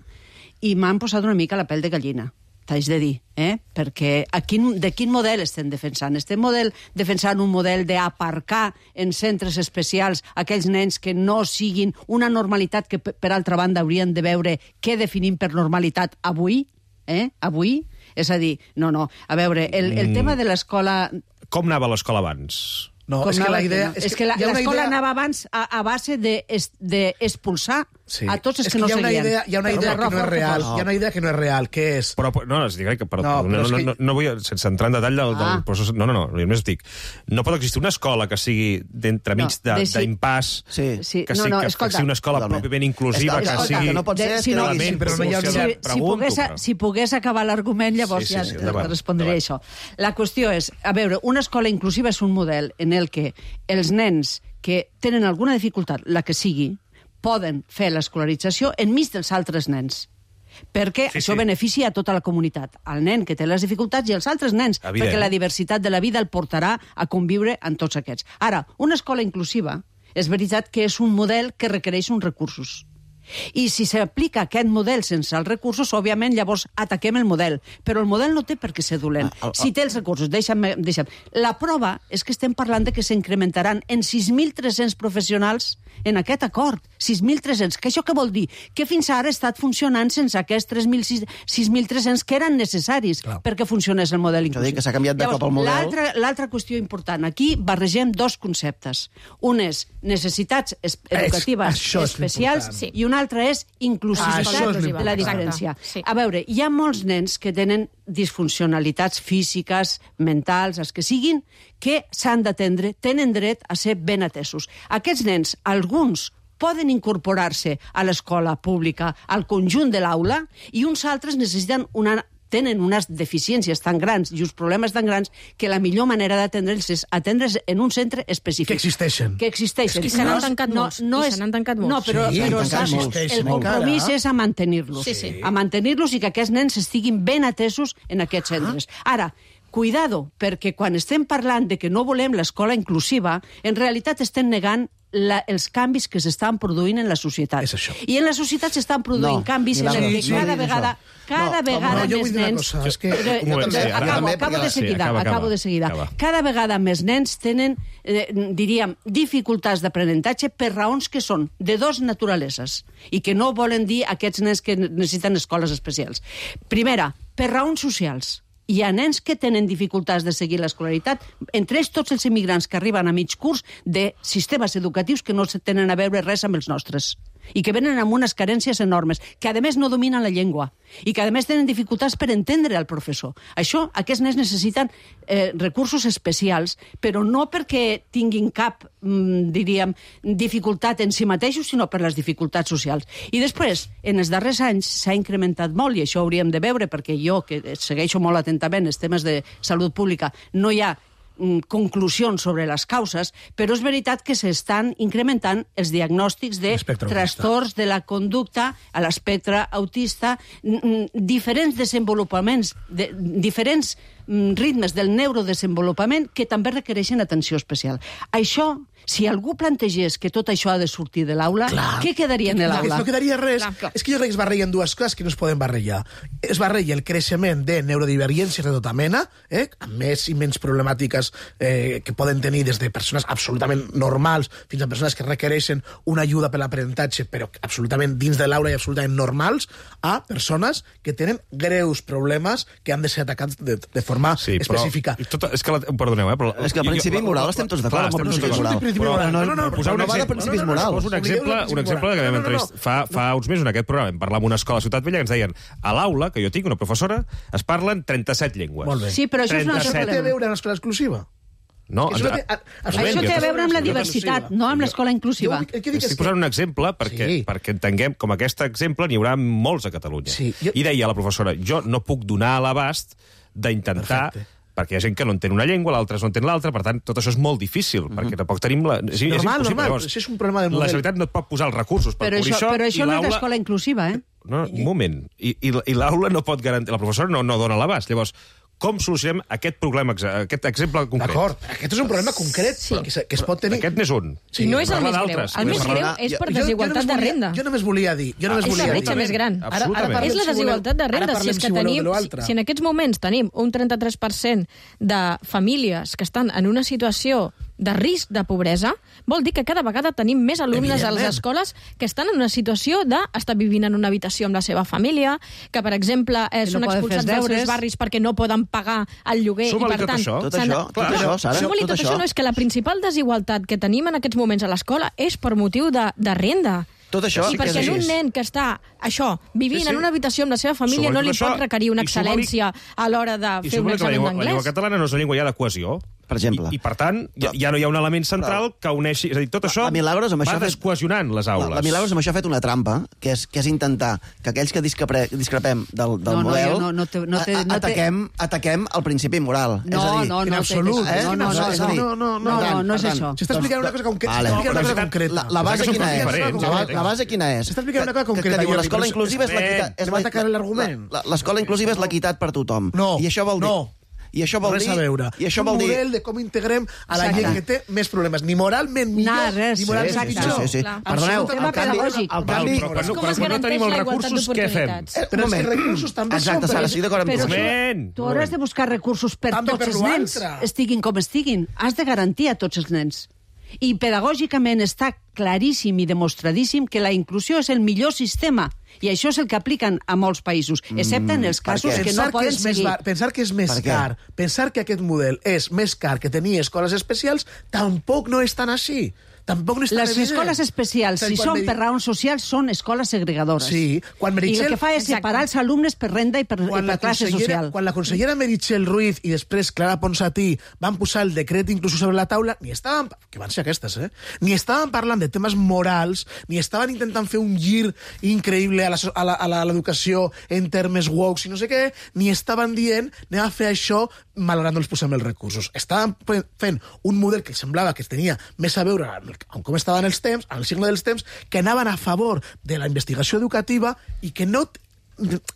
i m'han posat una mica la pell de gallina, t'haig de dir, eh? Perquè a quin, de quin model estem defensant? Estem model, defensant un model d'aparcar en centres especials aquells nens que no siguin una normalitat que, per altra banda, haurien de veure què definim per normalitat avui, eh? Avui? És a dir, no, no, a veure, el, el tema de l'escola... Com anava l'escola abans? No, Com és que anava la idea... que no? És que la- hi ha una l'escola idea- anava abans a, a base d'expulsar Sí. a tots els és que, no hi ha una seguien. idea, hi ha una Per idea que no és fort real. fos. Hi ha una idea que no és real, que és... Però, no, es dic que, però, No, no, però no, és no, que- no, no vull, sense entrar en detall del, del Ah. procés, no, no, no, només dic, no pot existir una escola que sigui d'entremig No, de- deixi- d'impàs, Sí. Sí, que, no, sigui, no, que, escolta. que sigui una escola Totalment. pròpiament inclusiva, És que- que escolta, sigui... que no pot ser, De- és si que no, no- element però no hi ha- proporcionat. si, si, Pregunto, pogués, però- si pogués acabar l'argument, llavors Sí, sí, ja sí, te- endavant, te respondré endavant. això. La qüestió és, a veure, una escola inclusiva és un model en el que els nens que tenen alguna dificultat, la que sigui, poden fer l'escolarització enmig dels altres nens. Perquè Sí, això sí. beneficia a tota la comunitat, al nen que té les dificultats i als altres nens, Evident. perquè la diversitat de la vida el portarà a conviure amb tots aquests. Ara, una escola inclusiva és veritat que és un model que requereix uns recursos. I si s'aplica aquest model sense els recursos, òbviament, llavors ataquem el model. Però el model no té per què ser dolent. Ah, ah, Si té els recursos, deixa'm, deixa'm. La prova és que estem parlant de que s'incrementaran en sis mil tres-cents professionals en aquest acord. sis mil tres-cents. Que això què vol dir? Que fins ara ha estat funcionant sense aquests tres mil sis mil tres-cents que eren necessaris Clar. perquè funcionés el model Això inclusiu. dic que s'ha canviat de Llavors, cop el model. L'altra l'altra qüestió important. Aquí barregem dos conceptes. Un és necessitats es- educatives això és especials l'important. i un altre és inclusivitat Ah, això és de la l'important. diferència. Exacte, sí. A veure, hi ha molts nens que tenen disfuncionalitats físiques, mentals, els que siguin, que s'han d'atendre, tenen dret a ser ben atesos. Aquests nens, alguns poden incorporar-se a l'escola pública, al conjunt de l'aula, i uns altres necessiten una tenen unes deficiències tan grans i uns problemes tan grans que la millor manera d'atendre'ls és atendre's en un centre específic. Que existeixen. Que existeixen. I se n'han No és- tancat no, molts, no i és, se n'han tancat molts. No, però, Sí, però tancat saps, molts. el Existeixen compromís encara. és a mantenir-los. Sí, sí. A mantenir-los i que aquests nens estiguin ben atesos en aquests centres. Ara, cuidado, perquè quan estem parlant de que no volem l'escola inclusiva, en realitat estem negant la, els canvis que s'estan produint en la societat. És això. I en la societat s'estan produint No, canvis en Milagros, els que sí, cada sí, vegada, això. cada No, vegada no, jo vull més dir una nens... cosa, és que- Eh, Un moment, sí, ara- acabo, també, acabo perquè- de seguida, sí, acaba, acabo acaba, de seguida. acaba. Cada vegada més nens tenen, eh, diríem, dificultats d'aprenentatge per raons que són de dos naturaleses i que no volen dir aquests nens que necessiten escoles especials. Primera, per raons socials. Hi ha nens que tenen dificultats de seguir l'escolaritat, entre ells tots els immigrants que arriben a mig curs de sistemes educatius que no tenen a veure res amb els nostres. i que venen amb unes carències enormes, que a més no dominen la llengua i que a més tenen dificultats per entendre el professor. Això, aquests nens necessiten eh, recursos especials, però no perquè tinguin cap, mm, diríem, dificultat en si mateixos, sinó per les dificultats socials. I després, en els darrers anys s'ha incrementat molt, i això hauríem de veure, perquè jo, que segueixo molt atentament els temes de salut pública, no hi ha conclusions sobre les causes, però és veritat que s'estan incrementant els diagnòstics de trastorns de la conducta a l'espectre autista, diferents desenvolupaments, de, diferents ritmes del neurodesenvolupament que també requereixen atenció especial. Això, si algú plantegés que tot això ha de sortir de l'aula, què quedaria en l'aula? No quedaria res. Clar. És que jo crec que es barregen dues coses que no es poden barrejar. Es barreja el creixement de neurodivergències de tota mena, eh, amb més i menys problemàtiques eh, que poden tenir des de persones absolutament normals fins a persones que requereixen una ajuda per l'aprenentatge, però absolutament dins de l'aula i absolutament normals, a persones que tenen greus problemes que han de ser atacats de, de forma sí, específica. Tot, és que, la, perdoneu, eh, però... És que el principi moral estem tots d'acord amb el principi moral. Però no, no, no, posar un no va de principis morals. Poso un exemple, un exemple que vam entrevistar fa, fa uns mesos en aquest programa. Vam parlar amb una escola a Ciutat Vella que ens deien a l'aula, que jo tinc, una professora, es parlen trenta-set llengües. Molt bé. Sí, però això és una cosa que té a veure amb l'escola exclusiva. No, això té, això té a veure amb la diversitat, no amb l'escola inclusiva. Jo, Estic posant un exemple perquè, sí. perquè entenguem com aquest exemple n'hi haurà molts a Catalunya. Sí, jo... I deia la professora, jo no puc donar a l'abast d'intentar... Perfecte. Perquè hi ha gent que no entén una llengua, l'altra no entén l'altra, per tant, tot això és molt difícil, mm -hmm. perquè tampoc tenim... La... És, normal, és normal, això és un problema del model. La Generalitat no et pot posar els recursos per però cobrir això. Però això no és l'escola i inclusiva, eh? No, un moment. I, i, i l'aula no pot garantir... La professora no, no dona l'abast. Llavors, com solucionem aquest problema, aquest exemple concret? D'acord, aquest és un problema concret sí. que, que es pot tenir... Aquest n'és un. Sí. I no és el més greu. El més greu és per desigualtat de renda. Jo només volia dir... Jo només és volia la bretxa més gran. Ara, ara és la desigualtat de renda. Si, és que tenim, si, si en aquests moments tenim un trenta-tres per cent de famílies que estan en una situació de risc de pobresa, vol dir que cada vegada tenim més alumnes a les escoles que estan en una situació d'estar vivint en una habitació amb la seva família, que, per exemple, eh, són no expulsats dels seus barris perquè no poden pagar el lloguer. Suma-li i, per tot tant, això. Tot això, tot això, Sara. Suma-li tot, tot això. No, és que la principal desigualtat que tenim en aquests moments a l'escola és per motiu de, de renda. Tot això I sí perquè és un nen que està, això, vivint sí, sí. en una habitació amb la seva família no li això, pot requerir una excel·lència a l'hora de fer un examen d'anglès. La llengua catalana no és una llengua ja de cohesió. Per exemple. I, i per tant, ja, ja no hi ha un element central que uneixi... És a dir, tot això Milagros, amb va això descohesionant les aules. La, la Milagros amb això ha fet una trampa, que és, que és intentar que aquells que discrepre, discrepem del, del no, model no, no, no te, no te, no te... ataquem, ataquem el principi moral. No, és a dir, no, no, en absolut. Eh? No, no, no, no, no, no, no, no, no és això. S'està explicant una cosa concreta. La, la base quina és? La, la base quina és? S'està explicant una cosa concreta. Que, que diu l'escola inclusiva és l'equitat. Es va atacar l'argument. L'escola inclusiva és l'equitat per tothom. No, I això vol dir... no. I això vol res dir... a veure. I això un vol dir... model de com integrem a la gent que té més problemes. Ni moralment millor, Nah, res, ni moralment sí, pitjor. Sí, sí, sí. Perdoneu, tema pedagògic. Al canvi, però, però, però quan no tenim els recursos, què fem? Però els recursos també són... Exacte, Sara, estic d'acord amb tu. Moment! Tu hauràs de buscar recursos per També tots per els nens, l'altre. estiguin com estiguin. Has de garantir a tots els nens. I pedagògicament està claríssim i demostradíssim que la inclusió és el millor sistema. I això és el que apliquen a molts països, excepte en els casos que no poden seguir. Pensar que és més car, pensar que aquest model és més car que tenir escoles especials, tampoc no és tan així. Tampoc no és tan Les evident. escoles especials, si són per raons socials, són escoles segregadores. Sí, quan I Meritxell... el que fa és separar els alumnes per renda i per, i per classe social. Quan la consellera Meritxell Ruiz i després Clara Ponsatí van posar el decret incluso sobre la taula, ni estaven, que van ser aquestes, eh? Ni estaven parlant de temes morals, ni estaven intentant fer un gir increïble a l'educació la, a la, a l'educació en termes woke i no sé què, ni estaven dient anem a fer això malgrat no els posem els recursos. Estaven fent un model que semblava que tenia més a veure amb com estaven els temps, amb el signe dels temps, que anaven a favor de la investigació educativa i que no...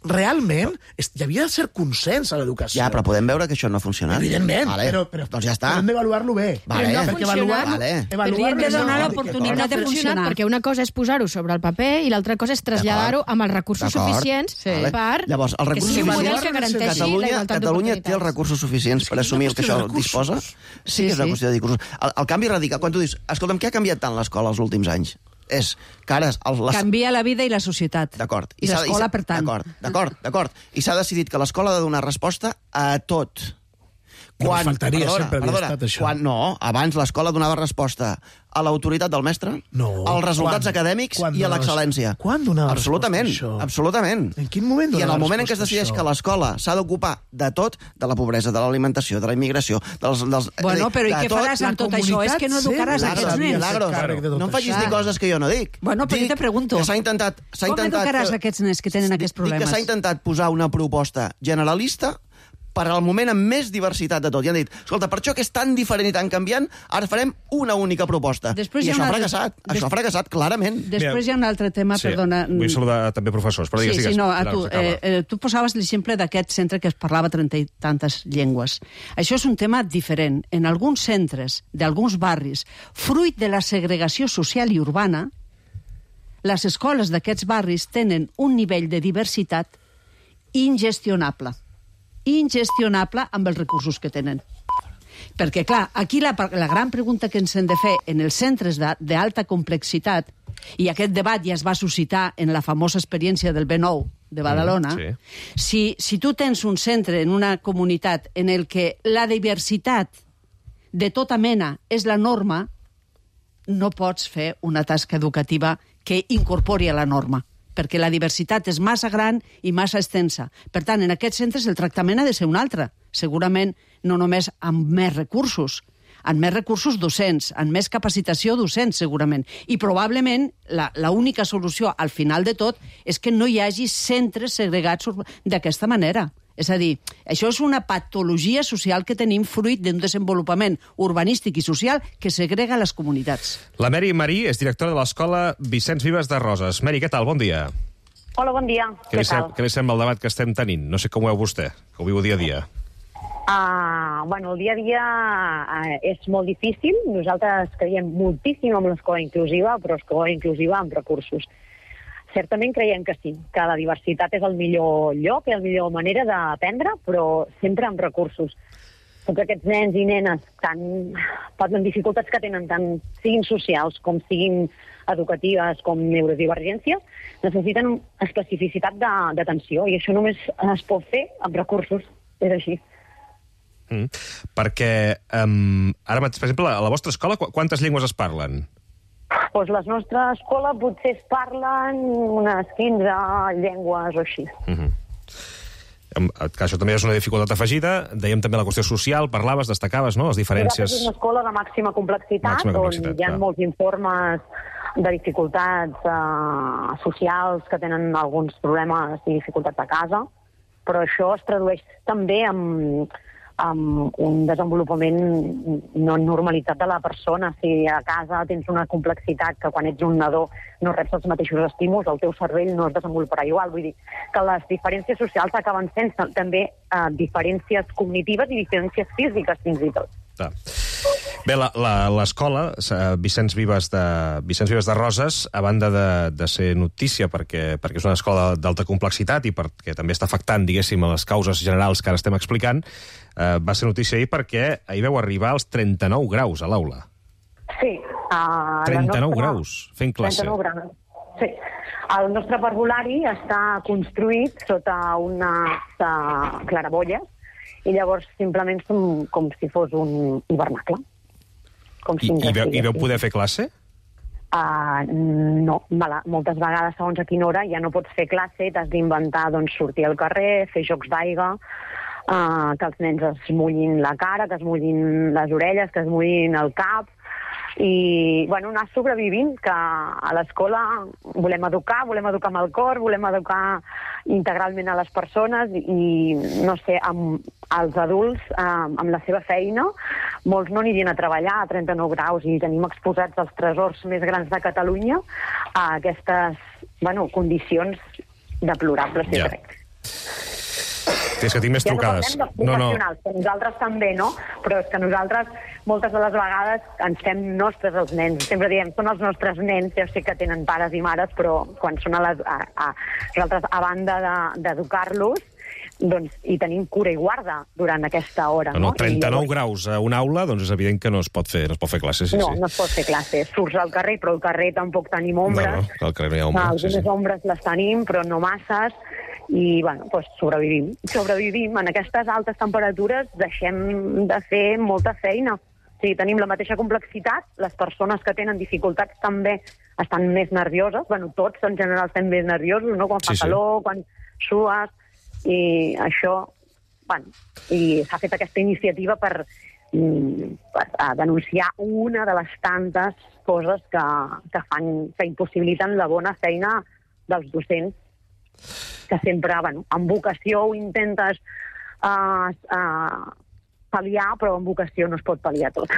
realment hi havia de ser consens a l'educació. Ja, però podem veure que això no ha funcionat. Evidentment, vale. però, però doncs ja està. hem d'avaluar-lo bé. Vale. No perquè avaluar-lo vale. avaluar hem de donar l'oportunitat de funcionar. Perquè una cosa és posar-ho sobre el paper i l'altra cosa és traslladar-ho amb els recursos suficients sí. per... Llavors, els recursos que sigui un model suficients... que garanteixi Catalunya, la igualtat Catalunya té els recursos suficients per assumir el que això disposa? Sí que és una qüestió de recursos. El, el canvi radical, quan tu dius, escolta'm, què ha canviat tant l'escola els últims anys? És que ara... Els, les... Canvia la vida i la societat. D'acord. I, I l'escola, per tant. D'acord, d'acord, d'acord. I s'ha decidit que l'escola ha de donar resposta a tot. Quan, faltaria, perdona, sempre havia estat això. Quan, no, abans l'escola donava resposta a l'autoritat del mestre, no, als resultats quan, acadèmics quan i a l'excel·lència. Quan donava absolutament, resposta a això? Absolutament. En quin moment donava I en el moment en què es resposta a decideix això? que l'escola s'ha d'ocupar de tot, de la pobresa, de l'alimentació, de la immigració, dels... dels Bueno, dir, però i de què tot, faràs amb tot això? És que no educaràs Milagros, aquests nens. Milagros, no em facis dir coses que jo no dic. Bueno, però dic jo te pregunto. que s'ha intentat... Com intentat educaràs que, aquests nens que tenen aquests problemes? Dic que s'ha intentat posar una proposta generalista per al moment amb més diversitat de tot. I han dit, escolta, per això que és tan diferent i tan canviant, ara farem una única proposta. Després I això ha altre... fracassat. Des... Això ha fracassat, clarament. Després hi ha un altre tema, sí, perdona... Vull saludar també professors, però digues, sí, digues. Sí, no, a tu, eh, eh, tu posaves l'exemple d'aquest centre que es parlava trenta i tantes llengües. Això és un tema diferent. En alguns centres d'alguns barris, fruit de la segregació social i urbana, les escoles d'aquests barris tenen un nivell de diversitat ingestionable. ingestionable amb els recursos que tenen. Perquè, clar, aquí la, la gran pregunta que ens hem de fer en els centres d'alta complexitat, i aquest debat ja es va suscitar en la famosa experiència del B nou de Badalona, mm, sí. si, si tu tens un centre en una comunitat en el que la diversitat de tota mena és la norma, no pots fer una tasca educativa que incorpori a la norma, perquè la diversitat és massa gran i massa extensa. Per tant, en aquests centres el tractament ha de ser un altre. Segurament no només amb més recursos, amb més recursos docents, amb més capacitació docent, segurament. I probablement l'única solució al final de tot és que no hi hagi centres segregats d'aquesta manera. És a dir, això és una patologia social que tenim fruit d'un desenvolupament urbanístic i social que segrega les comunitats. La Mary Marí és directora de l'escola Vicenç Vives de Roses. Mary, què tal? Bon dia. Hola, bon dia. Què, què, li, sem què li sembla el debat que estem tenint? No sé com ho veu vostè, que ho viu dia a dia. Uh, bueno, el dia a dia uh, és molt difícil. Nosaltres creiem moltíssim en l'escola inclusiva, però escola inclusiva amb recursos. Certament creiem que sí, que la diversitat és el millor lloc, és la millor manera d'aprendre, però sempre amb recursos. Tots aquests nens i nenes tan, amb dificultats que tenen, tant siguin socials com siguin educatives com neurodivergències, necessiten especificitat d'atenció i això només es pot fer amb recursos. És així. Mm. Perquè, um, ara, per exemple, a la vostra escola, qu quantes llengües es parlen? Doncs la nostra escola potser es parlen unes quinze llengües o així. Mm-hmm. Que això també és una dificultat afegida. Dèiem també la qüestió social, parlaves, destacaves, no?, les diferències... Nosaltres és una escola de màxima complexitat, màxima complexitat on hi ha clar. molts informes de dificultats uh, socials que tenen alguns problemes i dificultats a casa, però això es tradueix també en, en un desenvolupament no normalitzat de la persona. Si a casa tens una complexitat que quan ets un nadó no reps els mateixos estímuls, el teu cervell no es desenvoluparà igual. Vull dir que les diferències socials acaben sent també uh, diferències cognitives i diferències físiques, fins i tot. Ah. Bé, l'escola Vicenç Vives de, Vicenç Vives de Roses, a banda de, de ser notícia perquè, perquè és una escola d'alta complexitat i perquè també està afectant, diguéssim, a les causes generals que ara estem explicant, eh, va ser notícia ahir perquè ahir veu arribar als trenta-nou graus a l'aula. Sí. Uh, trenta-nou nostra... graus, fent classe. trenta-nou graus, sí. El nostre parvulari està construït sota unes uh, clarabolles i llavors simplement som com si fos un hivernacle. Com si I, i, veu, I veu poder fer classe? Uh, no, mala. Moltes vegades, segons a quina hora, ja no pots fer classe, t'has d'inventar doncs, sortir al carrer, fer jocs d'aigua, uh, que els nens es mullin la cara, que es mullin les orelles, que es mullin el cap, i bueno, anar sobrevivint, que a l'escola volem educar, volem educar amb el cor, volem educar integralment a les persones i, no sé, amb els adults, eh, amb la seva feina, molts no anirien a treballar a trenta-nou graus i tenim exposats els tresors més grans de Catalunya a aquestes, bueno, condicions deplorables, ja. jo crec. És que tinc més ja trucades. No parlem de professionals, no, no. Que nosaltres també, no? Però és que nosaltres moltes de les vegades ens fem nostres els nens. Sempre diem, són els nostres nens, ja sé que tenen pares i mares, però quan són a les, a, a, nosaltres, a banda d'educar-los, doncs hi tenim cura i guarda durant aquesta hora. No, no, trenta-nou I, graus a una aula, doncs és evident que no es pot fer, no es pot fer classe. Sí, no, sí. no es pot fer classe. Surts al carrer, però al carrer tampoc tenim ombres. No, no, al carrer no hi ha ombres. Algunes sí, sí. ombres les tenim, però no masses. i bueno, doncs sobrevivim. Sobrevivim. En aquestes altes temperatures deixem de fer molta feina. O sigui, tenim la mateixa complexitat, les persones que tenen dificultats també estan més nervioses, bueno, tots en general estem més nerviosos, no? Quan fa Sí, sí. calor, quan sues, i això, bueno, i s'ha fet aquesta iniciativa per, mm, per a denunciar una de les tantes coses que, que fan, que impossibiliten la bona feina dels docents, que sempre, bueno, amb vocació ho intentes uh, uh, pal·liar, però amb vocació no es pot pal·liar tot.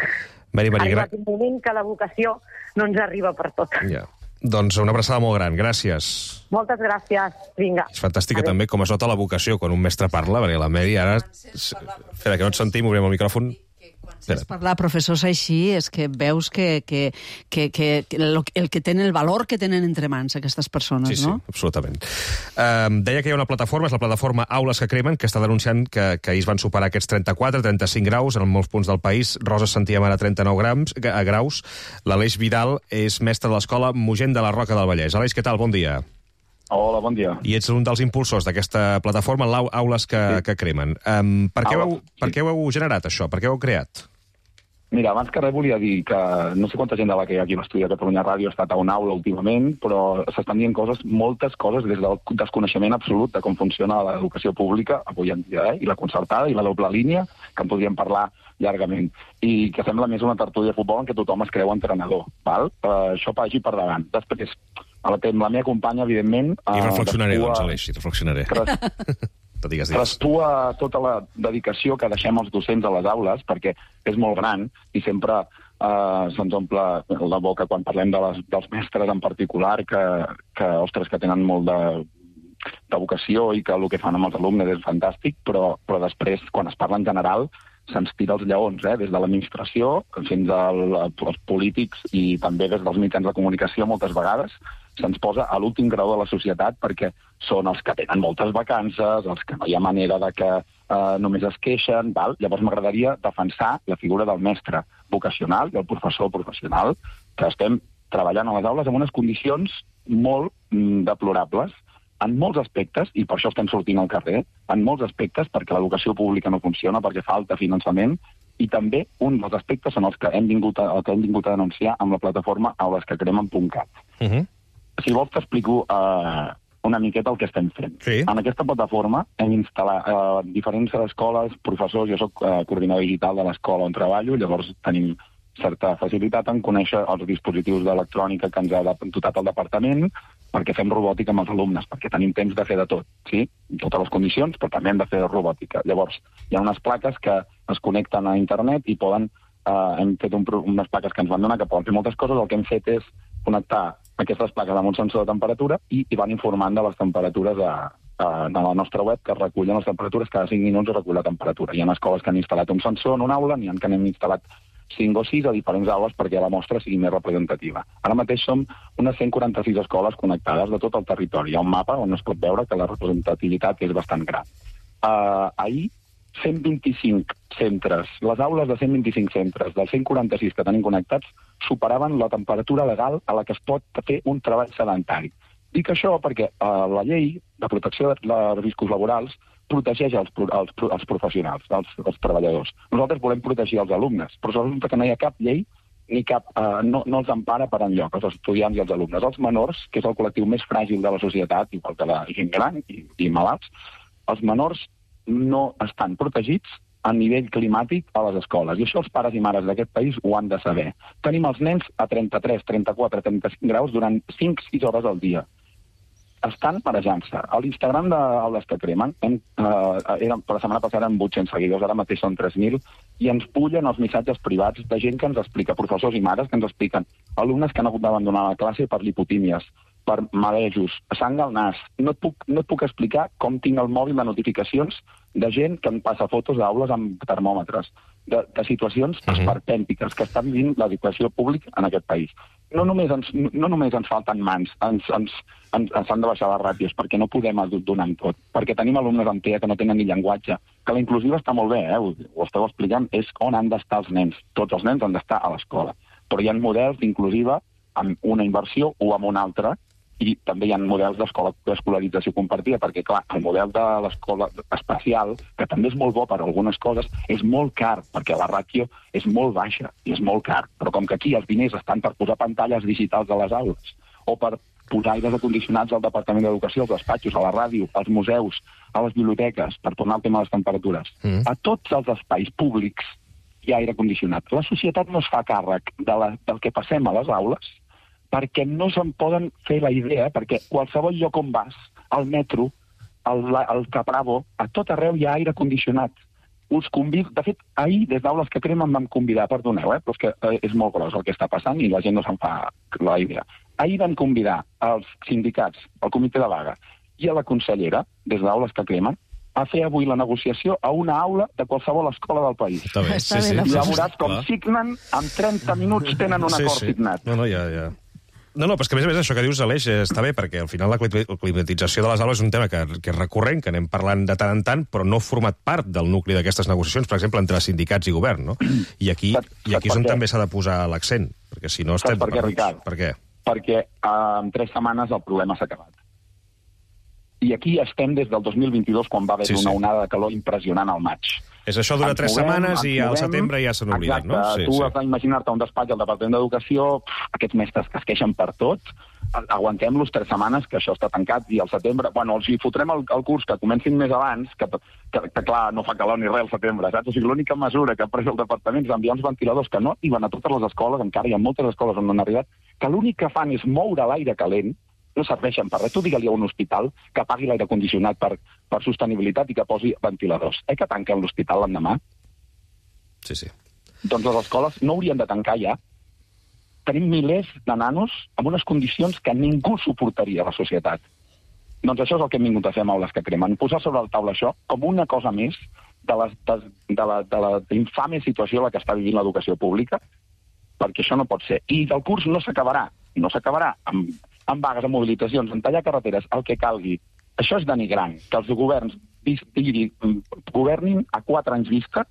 Mari, Mari, Ha gra... arribat un moment que la vocació no ens arriba per tot. ja. Doncs una abraçada molt gran, gràcies. Moltes gràcies, vinga. És fantàstica Adéu. també com es nota la vocació quan un mestre parla, perquè la Mary ara... Espera, que no et sentim, obrim el micròfon. És parlar professors així, és que veus que, que, que, que, que el, el que tenen, el valor que tenen entre mans aquestes persones, Sí, sí, no? absolutament. Um, deia que hi ha una plataforma, és la plataforma Aules que Cremen, que està denunciant que, que ahir es van superar aquests trenta-quatre, trenta-cinc graus en molts punts del país. Rosa sentíem ara trenta-nou grams, a graus. L'Aleix Vidal és mestre de l'escola Mogent de la Roca del Vallès. Aleix, què tal? Bon dia. Hola, bon dia. I ets un dels impulsors d'aquesta plataforma, l'Aules que, sí. que Cremen. Um, per, què heu, per què ho heu generat, això? Per què ho heu creat? Mira, abans que res volia dir que no sé quanta gent de la que hi ha aquí a l'estudi de Catalunya Ràdio ha estat a una aula últimament, però s'estan dient coses, moltes coses, des del desconeixement absolut de com funciona l'educació pública avui en dia, eh? I la concertada i la doble línia, que en podríem parlar llargament. I que sembla més una tertúlia de futbol en què tothom es creu entrenador. Val? Uh, això vagi per davant. Després, a la, la meva companya, evidentment... I reflexionaré, uh, doncs, Aleix, i reflexionarre. Digues, digues. Restua tota la dedicació que deixem els docents a les aules, perquè és molt gran i sempre eh, se'ns omple la boca quan parlem de les, dels mestres en particular, que, que, ostres, que tenen molt de, de vocació i que el que fan amb els alumnes és fantàstic, però, però després, quan es parla en general, se'ns tira els lleons, eh? Des de l'administració fins als polítics i també des dels mitjans de comunicació moltes vegades, se'ns posa a l'últim grau de la societat perquè són els que tenen moltes vacances, els que no hi ha manera de que eh, només es queixen, val? Llavors m'agradaria defensar la figura del mestre vocacional i el professor professional, que estem treballant a les aules en unes condicions molt mm, deplorables, en molts aspectes, i per això estem sortint al carrer, en molts aspectes, perquè l'educació pública no funciona, perquè falta finançament, i també un dels aspectes són els que hem vingut a, el que hem vingut a denunciar amb la plataforma aules que cremen punt cat. Uh -huh. Si vols t'explico uh, una miqueta el que estem fent. Sí. En aquesta plataforma hem instal·lat uh, diferents escoles, professors, jo soc uh, coordinador digital de l'escola on treballo, llavors tenim certa facilitat en conèixer els dispositius d'electrònica que ens ha dotat el departament, perquè fem robòtica amb els alumnes, perquè tenim temps de fer de tot, sí? Totes les condicions, però també hem de fer robòtica. Llavors, hi ha unes plaques que es connecten a internet i poden, eh, hem fet un, unes plaques que ens van donar que poden fer moltes coses. El que hem fet és connectar aquestes plaques amb un sensor de temperatura i, i van informant de les temperatures a, a, de la nostra web, que recullen les temperatures, cada cinc minuts recull la temperatura. Hi ha escoles que han instal·lat un sensor en una aula, n'hi ha que n'hem instal·lat cinc o sis a diferents aules perquè la mostra sigui més representativa. Ara mateix som unes cent quaranta-sis escoles connectades de tot el territori. Hi ha un mapa on es pot veure que la representativitat és bastant gran. Uh, ahir, cent vint-i-cinc centres, les aules de cent vint-i-cinc centres, dels cent quaranta-sis que tenim connectats, superaven la temperatura legal a la que es pot fer un treball sedentari. Dic això perquè uh, la llei de protecció de riscos laborals protegeix els, els, els professionals, els, els treballadors. Nosaltres volem protegir els alumnes, però resulta que no hi ha cap llei ni cap, eh, no, no els empara per enlloc, els estudiants i els alumnes. Els menors, que és el col·lectiu més fràgil de la societat, igual que la gent gran i, i malalts, els menors no estan protegits a nivell climàtic a les escoles. I això els pares i mares d'aquest país ho han de saber. Tenim els nens a trenta-tres, trenta-quatre, trenta-cinc graus durant cinc sis hores al dia. Estan marejant-se. A l'Instagram d'Aules que Cremen, hem, eh, eren, per la setmana passada amb vuit-cents seguidors, ara mateix són tres mil, i ens pullen els missatges privats de gent que ens explica, professors i mares que ens expliquen, alumnes que han hagut d'abandonar la classe per lipotímies, per marejos, sang al nas. No et puc, no et puc explicar com tinc el mòbil de notificacions de gent que em passa fotos d'aules amb termòmetres, de, de situacions uh-huh. esperpèntiques que està vivint l'educació pública en aquest país. No només ens, no només ens falten mans, ens, ens, ens, ens han de baixar les ràtios, perquè no podem donar amb tot, perquè tenim alumnes amb T E A que no tenen ni llenguatge, que la inclusiva està molt bé, eh? ho, ho esteu explicant, és on han d'estar els nens. Tots els nens han d'estar a l'escola. Però hi ha models d'inclusiva amb una inversió o amb una altra i també hi ha models d'escolarització compartida, perquè, clar, el model de l'escola especial, que també és molt bo per a algunes coses, és molt car, perquè la ràtio és molt baixa i és molt car. Però com que aquí els diners estan per posar pantalles digitals a les aules, o per posar aires acondicionats al Departament d'Educació, als despatxos, a la ràdio, als museus, a les biblioteques, per tornar al tema de les temperatures, mm. a tots els espais públics hi ha aire condicionat. La societat no es fa càrrec de la, del que passem a les aules, perquè no se'n poden fer la idea, perquè qualsevol lloc on vas, al metro, al, al Capravo, a tot arreu hi ha aire condicionat. Us convido... De fet, ahir, des d'Aules que Cremen, vam convidar, perdoneu, eh, però és que eh, és molt gros el que està passant i la gent no se'n fa la idea. Ahir vam convidar els sindicats, el comitè de vaga i a la consellera, des d'Aules que Cremen, a fer avui la negociació a una aula de qualsevol escola del país. Està bé, sí, sí. I ja veuràs com signen, en trenta minuts tenen un acord sí, sí. signat. No, no, ja, ja. No, no, però és que a més a més això que dius, Aleix, està bé, perquè al final la climatització de les aules és un tema que, que és recurrent, que anem parlant de tant en tant, però no ha format part del nucli d'aquestes negociacions, per exemple, entre sindicats i govern, no? I aquí, i aquí és on també s'ha de posar l'accent, perquè si no estem... Saps per què, Ricard? Per què? Perquè uh, en tres setmanes el problema s'ha acabat. I aquí estem des del dos mil vint-i-dos, quan va haver sí, una sí. onada de calor impressionant al maig. És això dura tres setmanes i al setembre ja s'han oblidat, no? Exacte, tu has d'imaginar-te un despatx al Departament d'Educació, aquests mestres que es queixen per tot, aguantem-los tres setmanes, que això està tancat, i al setembre, bueno, els hi fotrem el, el curs que comencin més abans, que, que, que clar, no fa calor ni res al setembre, saps? O sigui, l'única mesura que ha pres el Departament és enviar uns ventiladors que no arriben a totes les escoles, encara hi ha moltes escoles on no han arribat, que l'únic que fan és moure l'aire calent, no serveixen per res. Tu digue-li a un hospital que pagui l'aire condicionat per, per sostenibilitat i que posi ventiladors. Eh que tanquen l'hospital l'endemà? Sí, sí. Doncs les escoles no haurien de tancar ja. Tenim milers de nanos amb unes condicions que ningú suportaria a la societat. Doncs això és el que hem vingut a fer amb Aules que Cremen. Posar sobre la taula això com una cosa més de la, de, de la, de la infame situació en la que està vivint l'educació pública, perquè això no pot ser. I el curs no s'acabarà. No s'acabarà amb amb vagues, amb mobilitzacions, en tallar carreteres, el que calgui. Això és denigrant, que els governs diguin, governin a quatre anys vista.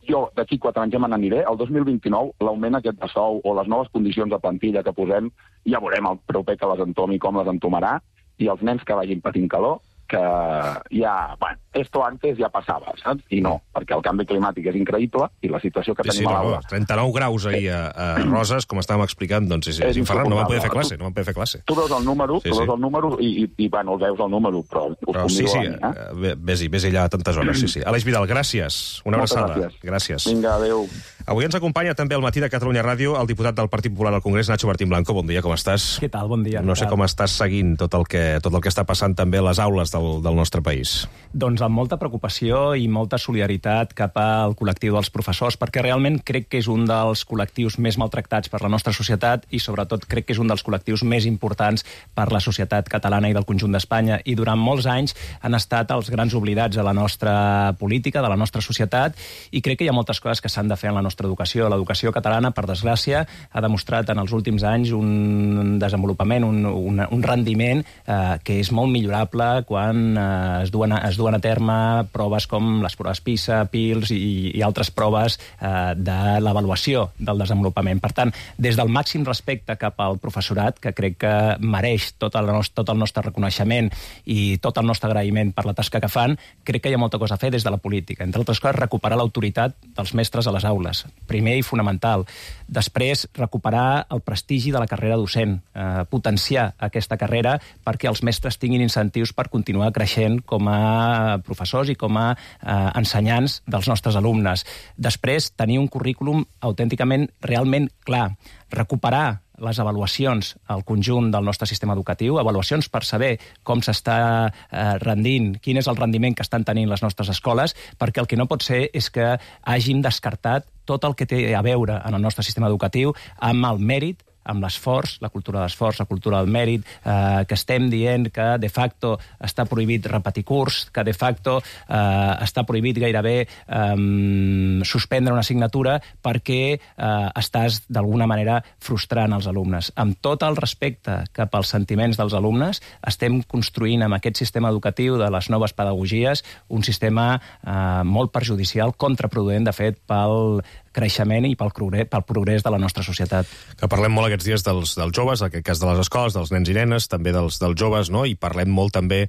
Jo d'aquí quatre anys ja me n'aniré. El dos mil vint-i-nou, l'augment aquest de sou o les noves condicions de plantilla que posem, ja veurem el proper que les entomi, com les entomarà, i els nens que vagin patint calor, que ja, bueno, esto antes ja passava, saps? I no, perquè el canvi climàtic és increïble i la situació que sí, tenim sí, a l'aula... trenta-nou graus ahir a, a Roses, com estàvem explicant, doncs és, és infernal, no van poder fer classe, no van poder fer classe. Tu veus el número, sí, tu veus sí. el número i, i, i, bueno, el veus el número, però us però, sí, sí, a mi, eh? Vés-hi, vés-hi allà a tantes hores, sí, sí. Aleix Vidal, gràcies, una Moltes abraçada. Gràcies. gràcies. Vinga, adéu. Avui ens acompanya també al matí de Catalunya Ràdio el diputat del Partit Popular al Congrés, Nacho Martín Blanco. Bon dia, com estàs? Què tal? Bon dia. No sé com estàs seguint tot el que, tot el que està passant també a les aules del, del nostre país. Doncs amb molta preocupació i molta solidaritat cap al col·lectiu dels professors, perquè realment crec que és un dels col·lectius més maltractats per la nostra societat i sobretot crec que és un dels col·lectius més importants per la societat catalana i del conjunt d'Espanya. I durant molts anys han estat els grans oblidats de la nostra política, de la nostra societat, i crec que hi ha moltes coses que s'han de fer en la nostra educació. L'educació catalana, per desgràcia, ha demostrat en els últims anys un desenvolupament, un, un, un rendiment eh, que és molt millorable quan eh, es duen a, es duen a terme proves com les proves PISA, PILS i, i altres proves eh, de l'avaluació del desenvolupament. Per tant, des del màxim respecte cap al professorat, que crec que mereix tot el, nostre, tot el nostre reconeixement i tot el nostre agraïment per la tasca que fan, crec que hi ha molta cosa a fer des de la política. Entre altres coses, recuperar l'autoritat dels mestres a les aules. Primer i fonamental. Després, recuperar el prestigi de la carrera docent, eh, potenciar aquesta carrera perquè els mestres tinguin incentius per continuar creixent com a professors i com a eh, ensenyants dels nostres alumnes. Després, tenir un currículum autènticament, realment clar. Recuperar les avaluacions al conjunt del nostre sistema educatiu, avaluacions per saber com s'està eh, rendint, quin és el rendiment que estan tenint les nostres escoles, perquè el que no pot ser és que hàgim descartat tot el que té a veure en el nostre sistema educatiu amb el mèrit, amb l'esforç, la cultura de l'esforç, la cultura del mèrit, eh, que estem dient que de facto està prohibit repetir curs, que de facto eh, està prohibit gairebé eh, suspendre una assignatura perquè eh, estàs d'alguna manera frustrant els alumnes. Amb tot el respecte cap als sentiments dels alumnes, estem construint amb aquest sistema educatiu de les noves pedagogies un sistema eh, molt perjudicial, contraproduent, de fet, pel creixement i pel progrés, pel progrés de la nostra societat. Que parlem molt aquests dies dels, dels joves, en aquest cas de les escoles, dels nens i nenes, també dels, dels joves, no? I parlem molt també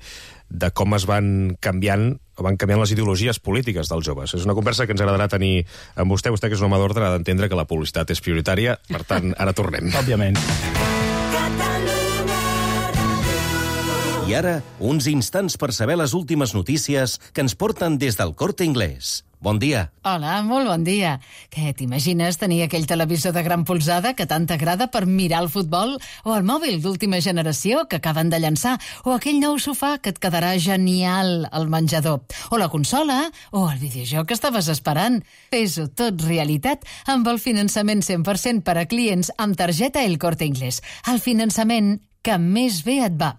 de com es van canviant van canviant les ideologies polítiques dels joves. És una conversa que ens agradarà tenir amb vostè. Vostè, que és un home d'ordre, ha d'entendre que la publicitat és prioritària. Per tant, ara tornem. Òbviament. I ara, uns instants per saber les últimes notícies que ens porten des del Corte Inglés. Bon dia. Hola, molt bon dia. Què, t'imagines tenir aquell televisor de gran polzada que tant t'agrada per mirar el futbol? O el mòbil d'última generació que acaben de llançar? O aquell nou sofà que et quedarà genial al menjador? O la consola? O el videojoc que estaves esperant? Fes-ho tot realitat amb el finançament cent per cent per a clients amb targeta El Corte Inglés. El finançament que més bé et va.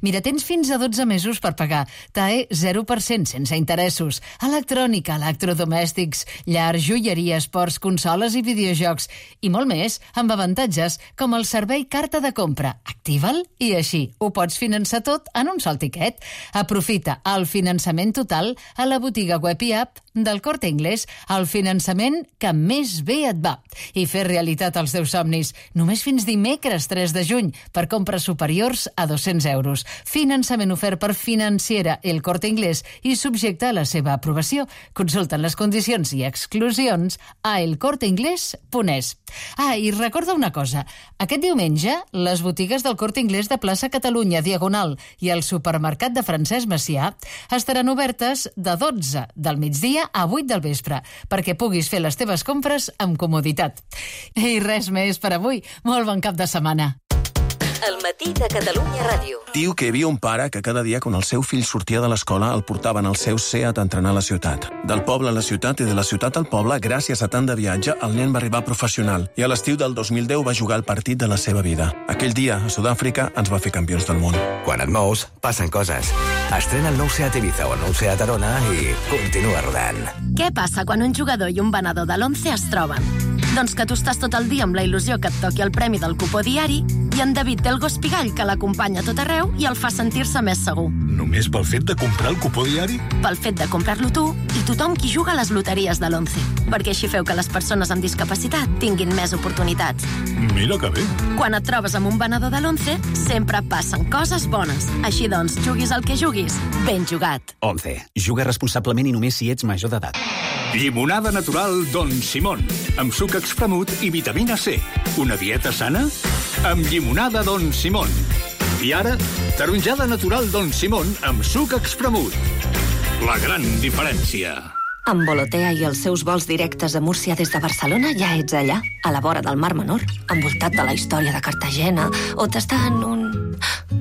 Mira, tens fins a dotze mesos per pagar. T A E zero per cent sense interessos. Electrònica, electrodomèstics, llar, joieria, esports, consoles i videojocs. I molt més, amb avantatges com el servei carta de compra. Activa'l i així ho pots finançar tot en un sol tiquet. Aprofita el finançament total a la botiga web i app del Corte Inglés, el finançament que més bé et va. I fer realitat els teus somnis. Només fins dimecres tres de juny per compres superiors a dos-cents euros. Finançament ofert per Financiera El Corte Inglés i subjecte a la seva aprovació. Consulten les condicions i exclusions a elcorteinglés punt es. Ah, i recorda una cosa. Aquest diumenge, les botigues del Corte Inglés de Plaça Catalunya, Diagonal, i el supermercat de Francesc Macià estaran obertes de dotze del migdia a vuit del vespre, perquè puguis fer les teves compres amb comoditat. I res més per avui. Molt bon cap de setmana. El matí de Catalunya Ràdio. Diu que hi havia un pare que cada dia, quan el seu fill sortia de l'escola, el portaven al seu Seat a entrenar a la ciutat. Del poble a la ciutat i de la ciutat al poble, gràcies a tant de viatge, el nen va arribar professional i a l'estiu del dos mil deu va jugar el partit de la seva vida. Aquell dia, a Sud-àfrica, ens va fer campions del món. Quan et mous, passen coses. Estrena el nou Seat Ibiza o el nou Seat Arona i continua rodant. Què passa quan un jugador i un venedor de l'Once es troben? Doncs que tu estàs tot el dia amb la il·lusió que et toqui el premi del cupó diari i en David té el gos pigall que l'acompanya a tot arreu i el fa sentir-se més segur. Només pel fet de comprar el cupó diari? Pel fet de comprar-lo tu i tothom qui juga a les loteries de l'Once. Perquè així feu que les persones amb discapacitat tinguin més oportunitats. Mira que bé. Quan et trobes amb un venedor de l'Once, sempre passen coses bones. Així doncs, juguis el que juguis, ben jugat. Once. Juga responsablement i només si ets major d'edat. Llimonada natural Don Simón, amb suc expremut i vitamina C. Una dieta sana? Amb llimonada Don Simón. I ara, taronjada natural Don Simón amb suc expremut. La gran diferència. Amb Volotea i els seus vols directes a Múrcia des de Barcelona ja ets allà, a la vora del Mar Menor, envoltat de la història de Cartagena, o tastant un...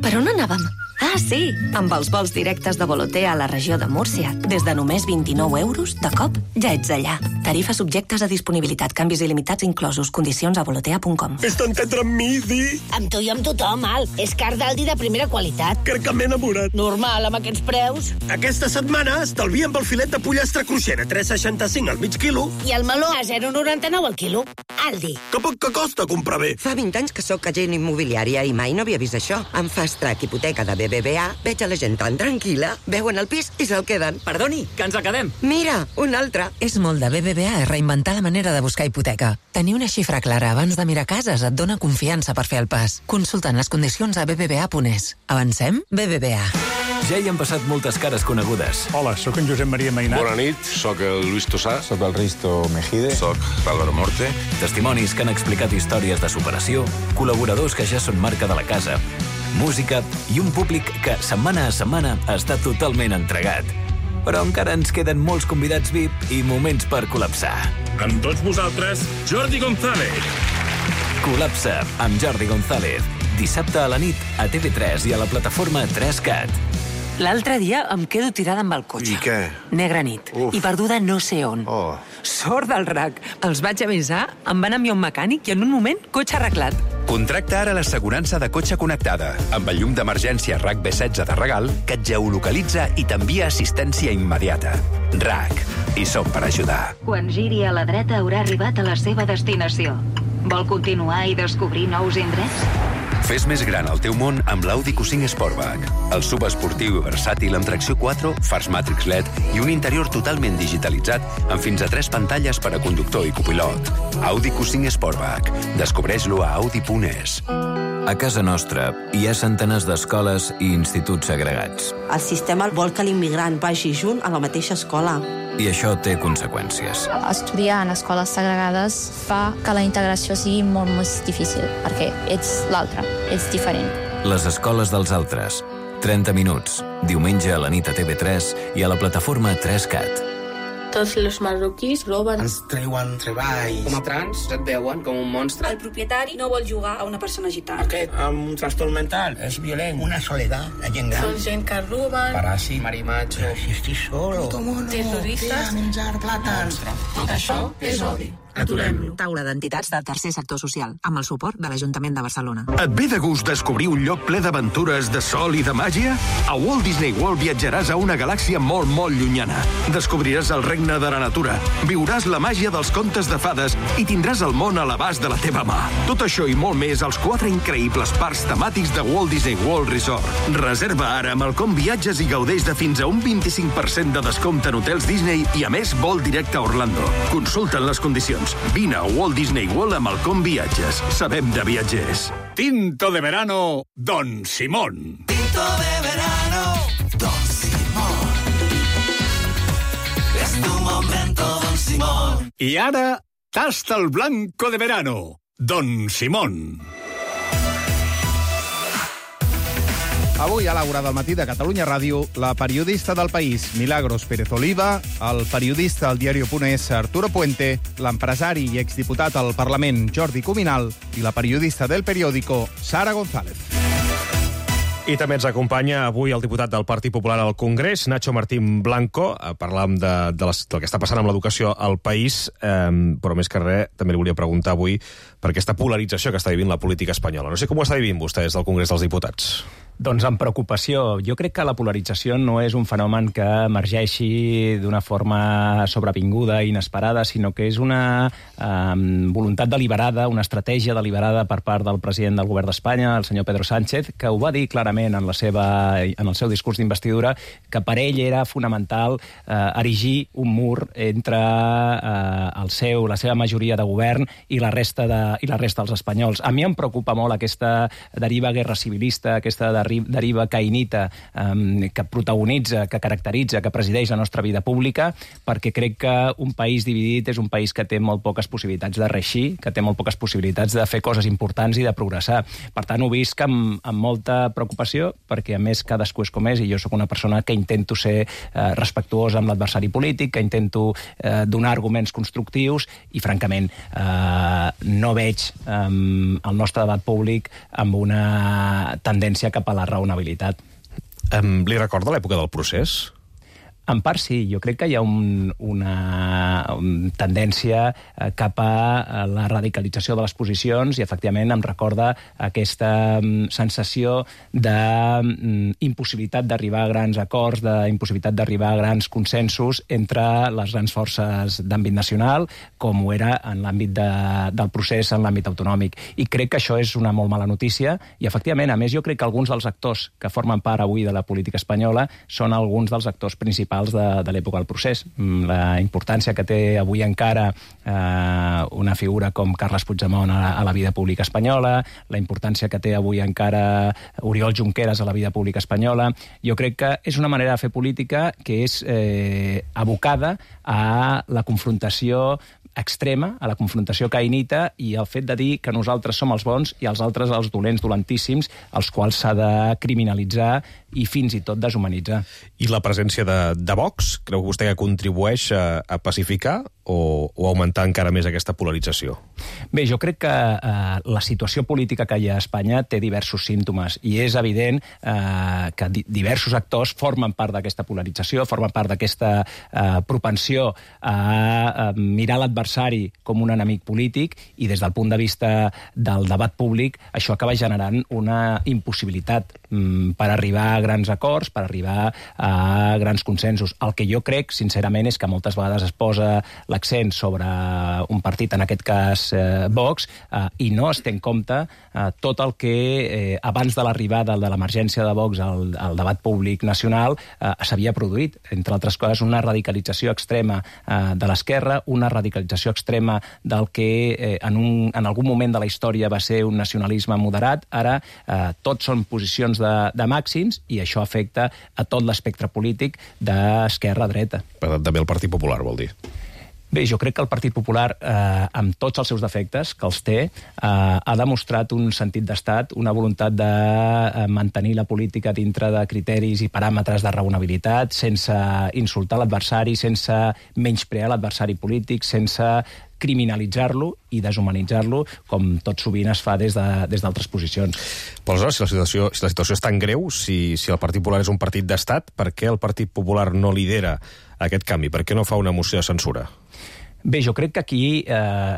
Per on anàvem? Ah, sí, amb els vols directes de Volotea a la regió de Múrcia. Des de només vint-i-nou euros, de cop, ja ets allà. Tarifes subjectes a disponibilitat, canvis il·limitats inclosos, condicions a volotea punt com. Fes-te entendre amb mi, Di. Amb tu i amb tothom, Al. És car d'Aldi de primera qualitat. Crec que m'he enamorat. Normal, amb aquests preus. Aquesta setmana estalviem pel filet de pollastre cruixent a tres coma seixanta-cinc al mig quilo. I el meló a zero coma noranta-nou al quilo. Aldi. Que poc que costa comprar bé. Fa vint anys que sóc agent immobiliària i mai no havia vist això. Em Fast Track Hipoteca de B B V A, veig a la gent tan tranquil·la, veuen el pis i se'l queden. Perdoni, que ens acabem. Mira, un altre. És molt de B B V A reinventar la manera de buscar hipoteca. Tenir una xifra clara abans de mirar cases et dona confiança per fer el pas. Consultant les condicions a b b v a punt es. Avancem? B B V A. Ja hi han passat moltes cares conegudes. Hola, sóc en Josep Maria Mainat. Bona nit, sóc el Luis Tosà. Sóc el Risto Mejide. Sóc l'Álvaro Morte. Testimonis que han explicat històries de superació, col·laboradors que ja són marca de la casa, música i un públic que setmana a setmana està totalment entregat. Però encara ens queden molts convidats V I P i moments per col·lapsar. Amb tots vosaltres, Jordi González. Col·lapsa amb Jordi González. Dissabte a la nit a T V tres i a la plataforma tres cat. L'altre dia em quedo tirada amb el cotxe. I què? Negra nit. Uf. I perduda no sé on. Oh. Sort del rac. Els vaig avisar, em van enviar un mecànic i en un moment, cotxe arreglat. Contracta ara l'assegurança de cotxe connectada, amb el llum d'emergència RAC B setze de regal, que et geolocalitza i t'envia assistència immediata. RAC. I som per ajudar. Quan giri a la dreta haurà arribat a la seva destinació. Vol continuar i descobrir nous indrets? Fes més gran el teu món amb l'Audi Q cinc Sportback. El sub esportiu i versàtil amb tracció quatre, fars Matrix L E D i un interior totalment digitalitzat amb fins a tres pantalles per a conductor i copilot. Audi Q cinc Sportback. Descobreix-lo a audi punt es. A casa nostra hi ha centenars d'escoles i instituts segregats. El sistema vol que l'immigrant vagi junt a la mateixa escola. I això té conseqüències. Estudiar en escoles segregades fa que la integració sigui molt més difícil, perquè ets l'altre, ets diferent. Les escoles dels altres. trenta minuts. Diumenge a la nit a T V tres i a la plataforma tres cat. Tots els marroquís roben. Ens treuen treball. Com a trans et veuen com un monstre. El propietari no vol jugar a una persona gitana. Aquest amb un trastorn mental és violent. Una soledat, la gent gran. Són gent que roben. Paràsit, marimatge. Si estic solo. Terroristes. Menjar plàtans. Tot això és odi. Aturem-lo. Taula d'entitats del tercer sector social, amb el suport de l'Ajuntament de Barcelona. Et ve de gust descobrir un lloc ple d'aventures, de sol i de màgia? A Walt Disney World viatjaràs a una galàxia molt, molt llunyana. Descobriràs el regne de la natura, viuràs la màgia dels contes de fades i tindràs el món a l'abast de la teva mà. Tot això i molt més als quatre increïbles parcs temàtics de Walt Disney World Resort. Reserva ara amb el Com Viatges i gaudeix de fins a un vint-i-cinc per cent de descompte en hotels Disney i, a més, vol directe a Orlando. Consulta'n les condicions. Vine a Walt Disney World amb el Com Viatges. Sabem de viatgers. Tinto de verano, Don Simón. Tinto de verano, Don Simón. Es tu momento, Don Simón. I ara, tasta el blanco de verano, Don Simón. Avui a l'Aura del matí de Catalunya Ràdio, la periodista del País, Milagros Pérez Oliva, el periodista al diario.es, Arturo Puente, l'empresari i exdiputat al Parlament, Jordi Cuminal, i la periodista del periòdico, Sara González. I també ens acompanya avui el diputat del Partit Popular al Congrés, Nacho Martín Blanco. Parlàvem de, de les, del que està passant amb l'educació al país, eh, però més que res també li volia preguntar avui per aquesta polarització que està vivint la política espanyola. No sé com ho està vivint vostè des del Congrés dels Diputats. Doncs amb preocupació. Jo crec que la polarització no és un fenomen que emergeixi d'una forma sobrevinguda, inesperada, sinó que és una eh, voluntat deliberada, una estratègia deliberada per part del president del govern d'Espanya, el senyor Pedro Sánchez, que ho va dir clarament en, la seva, en el seu discurs d'investidura, que per ell era fonamental eh, erigir un mur entre eh, el seu, la seva majoria de govern i la resta de, i la resta dels espanyols. A mi em preocupa molt aquesta deriva guerra civilista, aquesta deriva caïnita eh, que protagonitza, que caracteritza, que presideix la nostra vida pública, perquè crec que un país dividit és un país que té molt poques possibilitats de reeixir, que té molt poques possibilitats de fer coses importants i de progressar. Per tant, ho visc amb, amb molta preocupació, perquè a més cadascú és com és, i jo sóc una persona que intento ser eh, respectuosa amb l'adversari polític, que intento eh, donar arguments constructius, i francament eh, no veig eh, el nostre debat públic amb una tendència cap a la raonabilitat. Um, li recorda l'època del procés? En part sí, jo crec que hi ha un, una un tendència cap a la radicalització de les posicions i efectivament em recorda aquesta sensació d'impossibilitat d'arribar a grans acords, d'impossibilitat d'arribar a grans consensos entre les grans forces d'àmbit nacional, com ho era en l'àmbit de, del procés en l'àmbit autonòmic. I crec que això és una molt mala notícia i efectivament, a més, jo crec que alguns dels actors que formen part avui de la política espanyola són alguns dels actors principals de, de l'època del procés. La importància que té avui encara eh, una figura com Carles Puigdemont a, a la vida pública espanyola, la importància que té avui encara Oriol Junqueras a la vida pública espanyola, jo crec que és una manera de fer política que és eh, abocada a la confrontació extrema, a la confrontació caïnita i al fet de dir que nosaltres som els bons i els altres els dolents, dolentíssims, els quals s'ha de criminalitzar i fins i tot deshumanitzar. I la presència de, de Vox, creu vostè que contribueix a, a pacificar o, o augmentar encara més aquesta polarització? Bé, jo crec que eh, la situació política que hi ha a Espanya té diversos símptomes i és evident eh, que di diversos actors formen part d'aquesta polarització, formen part d'aquesta eh, propensió a, a mirar l'adversari com un enemic polític i des del punt de vista del debat públic això acaba generant una impossibilitat per arribar a grans acords, per arribar a grans consensos. El que jo crec, sincerament, és que moltes vegades es posa l'accent sobre un partit, en aquest cas eh, Vox, eh, i no es té en compte eh, tot el que eh, abans de l'arribada de l'emergència de Vox al, al debat públic nacional eh, s'havia produït. Entre altres coses, una radicalització extrema eh, de l'esquerra, una radicalització extrema del que eh, en, un, en algun moment de la història va ser un nacionalisme moderat. Ara eh, tots són posicions de, de màxims i això afecta a tot l'espectre polític d'esquerra a dreta. Per tant, també el Partit Popular, vol dir? Bé, jo crec que el Partit Popular, eh, amb tots els seus defectes, que els té, eh, ha demostrat un sentit d'estat, una voluntat de eh, mantenir la política dintre de criteris i paràmetres de raonabilitat, sense insultar l'adversari, sense menysprear l'adversari polític, sense criminalitzar-lo i deshumanitzar-lo, com tot sovint es fa des de, des d'altres posicions. Però aleshores, si la situació, si la situació és tan greu, si, si el Partit Popular és un partit d'estat, per què el Partit Popular no lidera aquest canvi? Per què no fa una moció de censura? Bé, jo crec que aquí eh,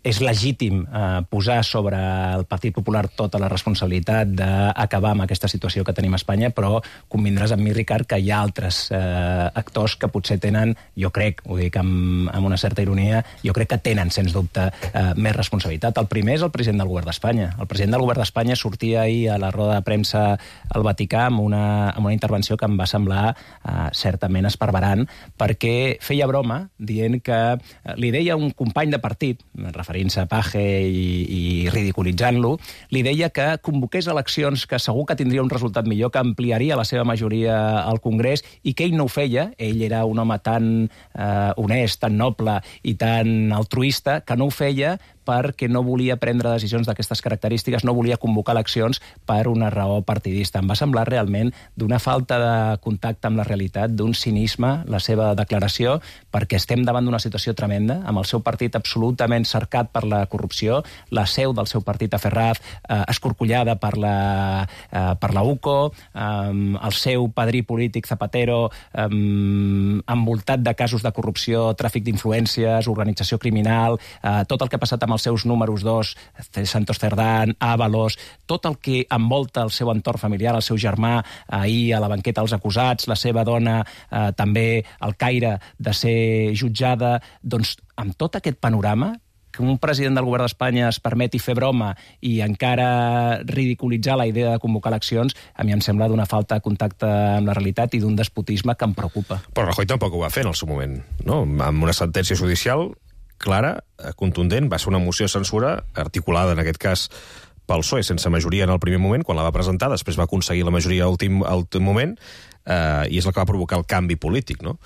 és legítim eh, posar sobre el Partit Popular tota la responsabilitat d'acabar amb aquesta situació que tenim a Espanya, però convindràs amb mi, Ricard, que hi ha altres eh, actors que potser tenen, jo crec, ho dic amb, amb una certa ironia, jo crec que tenen, sens dubte, eh, més responsabilitat. El primer és el president del govern d'Espanya. El president del govern d'Espanya sortia ahir a la roda de premsa al Vaticà amb una, amb una intervenció que em va semblar eh, certament esparverant, perquè feia broma dient que li deia un company de partit, referint-se a Page i, i ridiculitzant-lo, li deia que convoqués eleccions que segur que tindria un resultat millor, que ampliaria la seva majoria al Congrés i que ell no ho feia. Ell era un home tan eh, honest, tan noble i tan altruista que no ho feia perquè no volia prendre decisions d'aquestes característiques, no volia convocar eleccions per una raó partidista. Em va semblar realment d'una falta de contacte amb la realitat, d'un cinisme, la seva declaració, perquè estem davant d'una situació tremenda, amb el seu partit absolutament cercat per la corrupció, la seu del seu partit a Ferraz eh, escorcollada per la, eh, per la U C O, eh, el seu padrí polític Zapatero eh, envoltat de casos de corrupció, tràfic d'influències, organització criminal, eh, tot el que ha passat amb els seus números dos, Santos Cerdán, Ábalos, tot el que envolta el seu entorn familiar, el seu germà ahir a la banqueta dels acusats, la seva dona eh, també al Caire de ser jutjada, doncs amb tot aquest panorama, que un president del govern d'Espanya es permeti fer broma i encara ridiculitzar la idea de convocar eleccions, a mi em sembla d'una falta de contacte amb la realitat i d'un despotisme que em preocupa. Però Rajoy tampoc ho va fer en el seu moment, no? Amb una sentència judicial clara, contundent, va ser una moció de censura articulada, en aquest cas, pel P S O E, sense majoria en el primer moment, quan la va presentar, després va aconseguir la majoria a últim, a últim moment, eh, i és el que va provocar el canvi polític, no?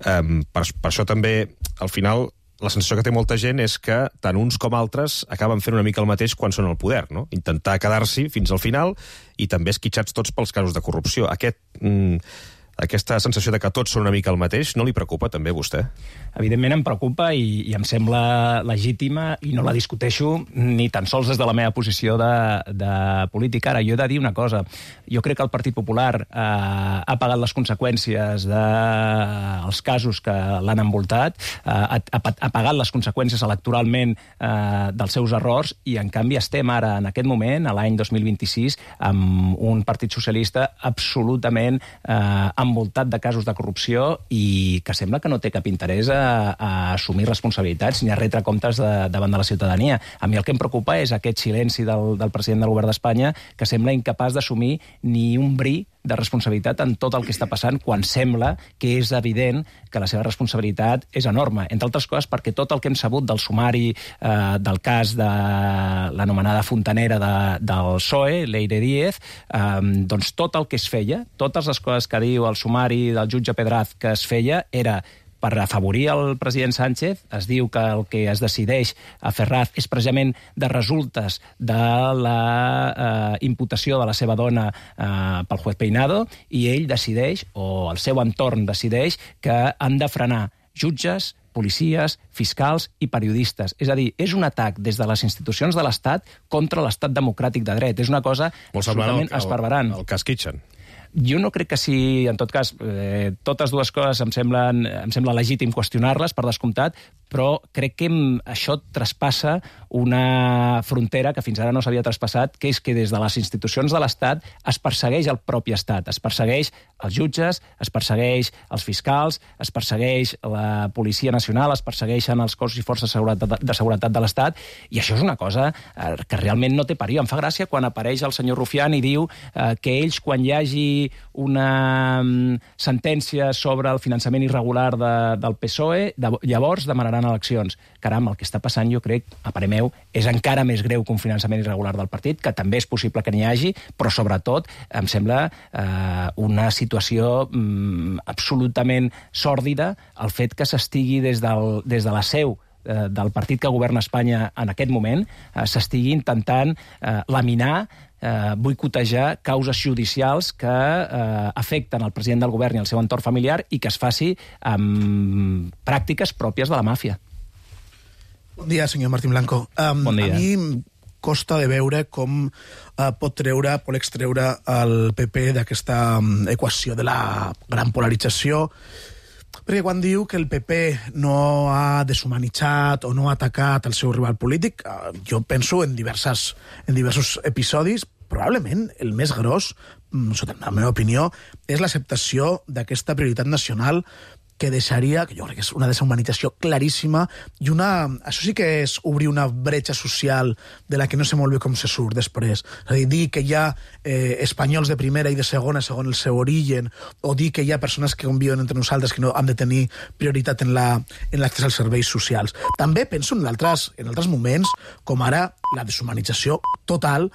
Eh, per, per això també, al final, la sensació que té molta gent és que tant uns com altres acaben fent una mica el mateix quan són al poder, no? Intentar quedar-s'hi fins al final i també esquitxats tots pels casos de corrupció. Aquest... Mm, aquesta sensació de que tots són una mica el mateix, no li preocupa també a vostè? Evidentment em preocupa i, i em sembla legítima i no la discuteixo ni tan sols des de la meva posició de, de política. Ara, jo he de dir una cosa. Jo crec que el Partit Popular eh, ha pagat les conseqüències dels de, casos que l'han envoltat, eh, ha, ha pagat les conseqüències electoralment eh, dels seus errors i, en canvi, estem ara, en aquest moment, a l'any dos mil vint-i-sis, amb un Partit Socialista absolutament eh, envoltat de casos de corrupció i que sembla que no té cap interès a, a assumir responsabilitats ni a retre comptes de, davant de la ciutadania. A mi el que em preocupa és aquest silenci del, del president del govern d'Espanya, que sembla incapaç d'assumir ni un bri de responsabilitat en tot el que està passant, quan sembla que és evident que la seva responsabilitat és enorme. Entre altres coses perquè tot el que hem sabut del sumari eh, del cas de l'anomenada fontanera de, del P S O E, Leire Díez, eh, doncs tot el que es feia, totes les coses que diu el sumari del jutge Pedraz que es feia, era per afavorir el president Sánchez. Es diu que el que es decideix a Ferraz és precisament de resultes de la eh, imputació de la seva dona eh, pel juez Peinado, i ell decideix, o el seu entorn decideix, que han de frenar jutges, policies, fiscals i periodistes. És a dir, és un atac des de les institucions de l'Estat contra l'Estat democràtic de dret. És una cosa absolutament esparverant. El cas Kitchen. Jo no crec que sí, en tot cas, eh, totes dues coses em semblen, em sembla legítim qüestionar-les, per descomptat, però crec que això traspassa una frontera que fins ara no s'havia traspassat, que és que des de les institucions de l'Estat es persegueix el propi Estat, es persegueix els jutges, es persegueix els fiscals, es persegueix la Policia Nacional, es persegueixen els cossos i forces de seguretat de, seguretat de l'Estat, i això és una cosa eh, que realment no té parió. Em fa gràcia quan apareix el senyor Rufián i diu eh, que ells, quan hi hagi una um, sentència sobre el finançament irregular de, del P S O E, de, llavors demanaran eleccions. Caram, el que està passant, jo crec, a parer meu, és encara més greu que un finançament irregular del partit, que també és possible que n'hi hagi, però sobretot em sembla eh, una situació mm, absolutament sòrdida el fet que s'estigui des, del, des de la seu eh, del partit que governa Espanya en aquest moment, eh, s'estigui intentant eh, laminar, eh, boicotejar causes judicials que eh, afecten el president del govern i el seu entorn familiar i que es faci amb pràctiques pròpies de la màfia. Bon dia, senyor Martín Blanco. Um, bon dia. A mi costa de veure com uh, pot treure, pot extreure el P P d'aquesta um, equació de la gran polarització, perquè quan diu que el P P no ha deshumanitzat o no ha atacat el seu rival polític, uh, jo penso en, diverses, en diversos episodis. Probablement el més gros, sota la meva opinió, és l'acceptació d'aquesta prioritat nacional que deixaria, que jo crec que és una deshumanització claríssima, i una, això sí que és obrir una bretxa social de la que no sé molt bé com se surt després. És a dir, dir que hi ha eh, espanyols de primera i de segona segons el seu origen, o dir que hi ha persones que conviuen entre nosaltres que no han de tenir prioritat en la, en l'accés als serveis socials. També penso en altres, en altres moments, com ara la deshumanització total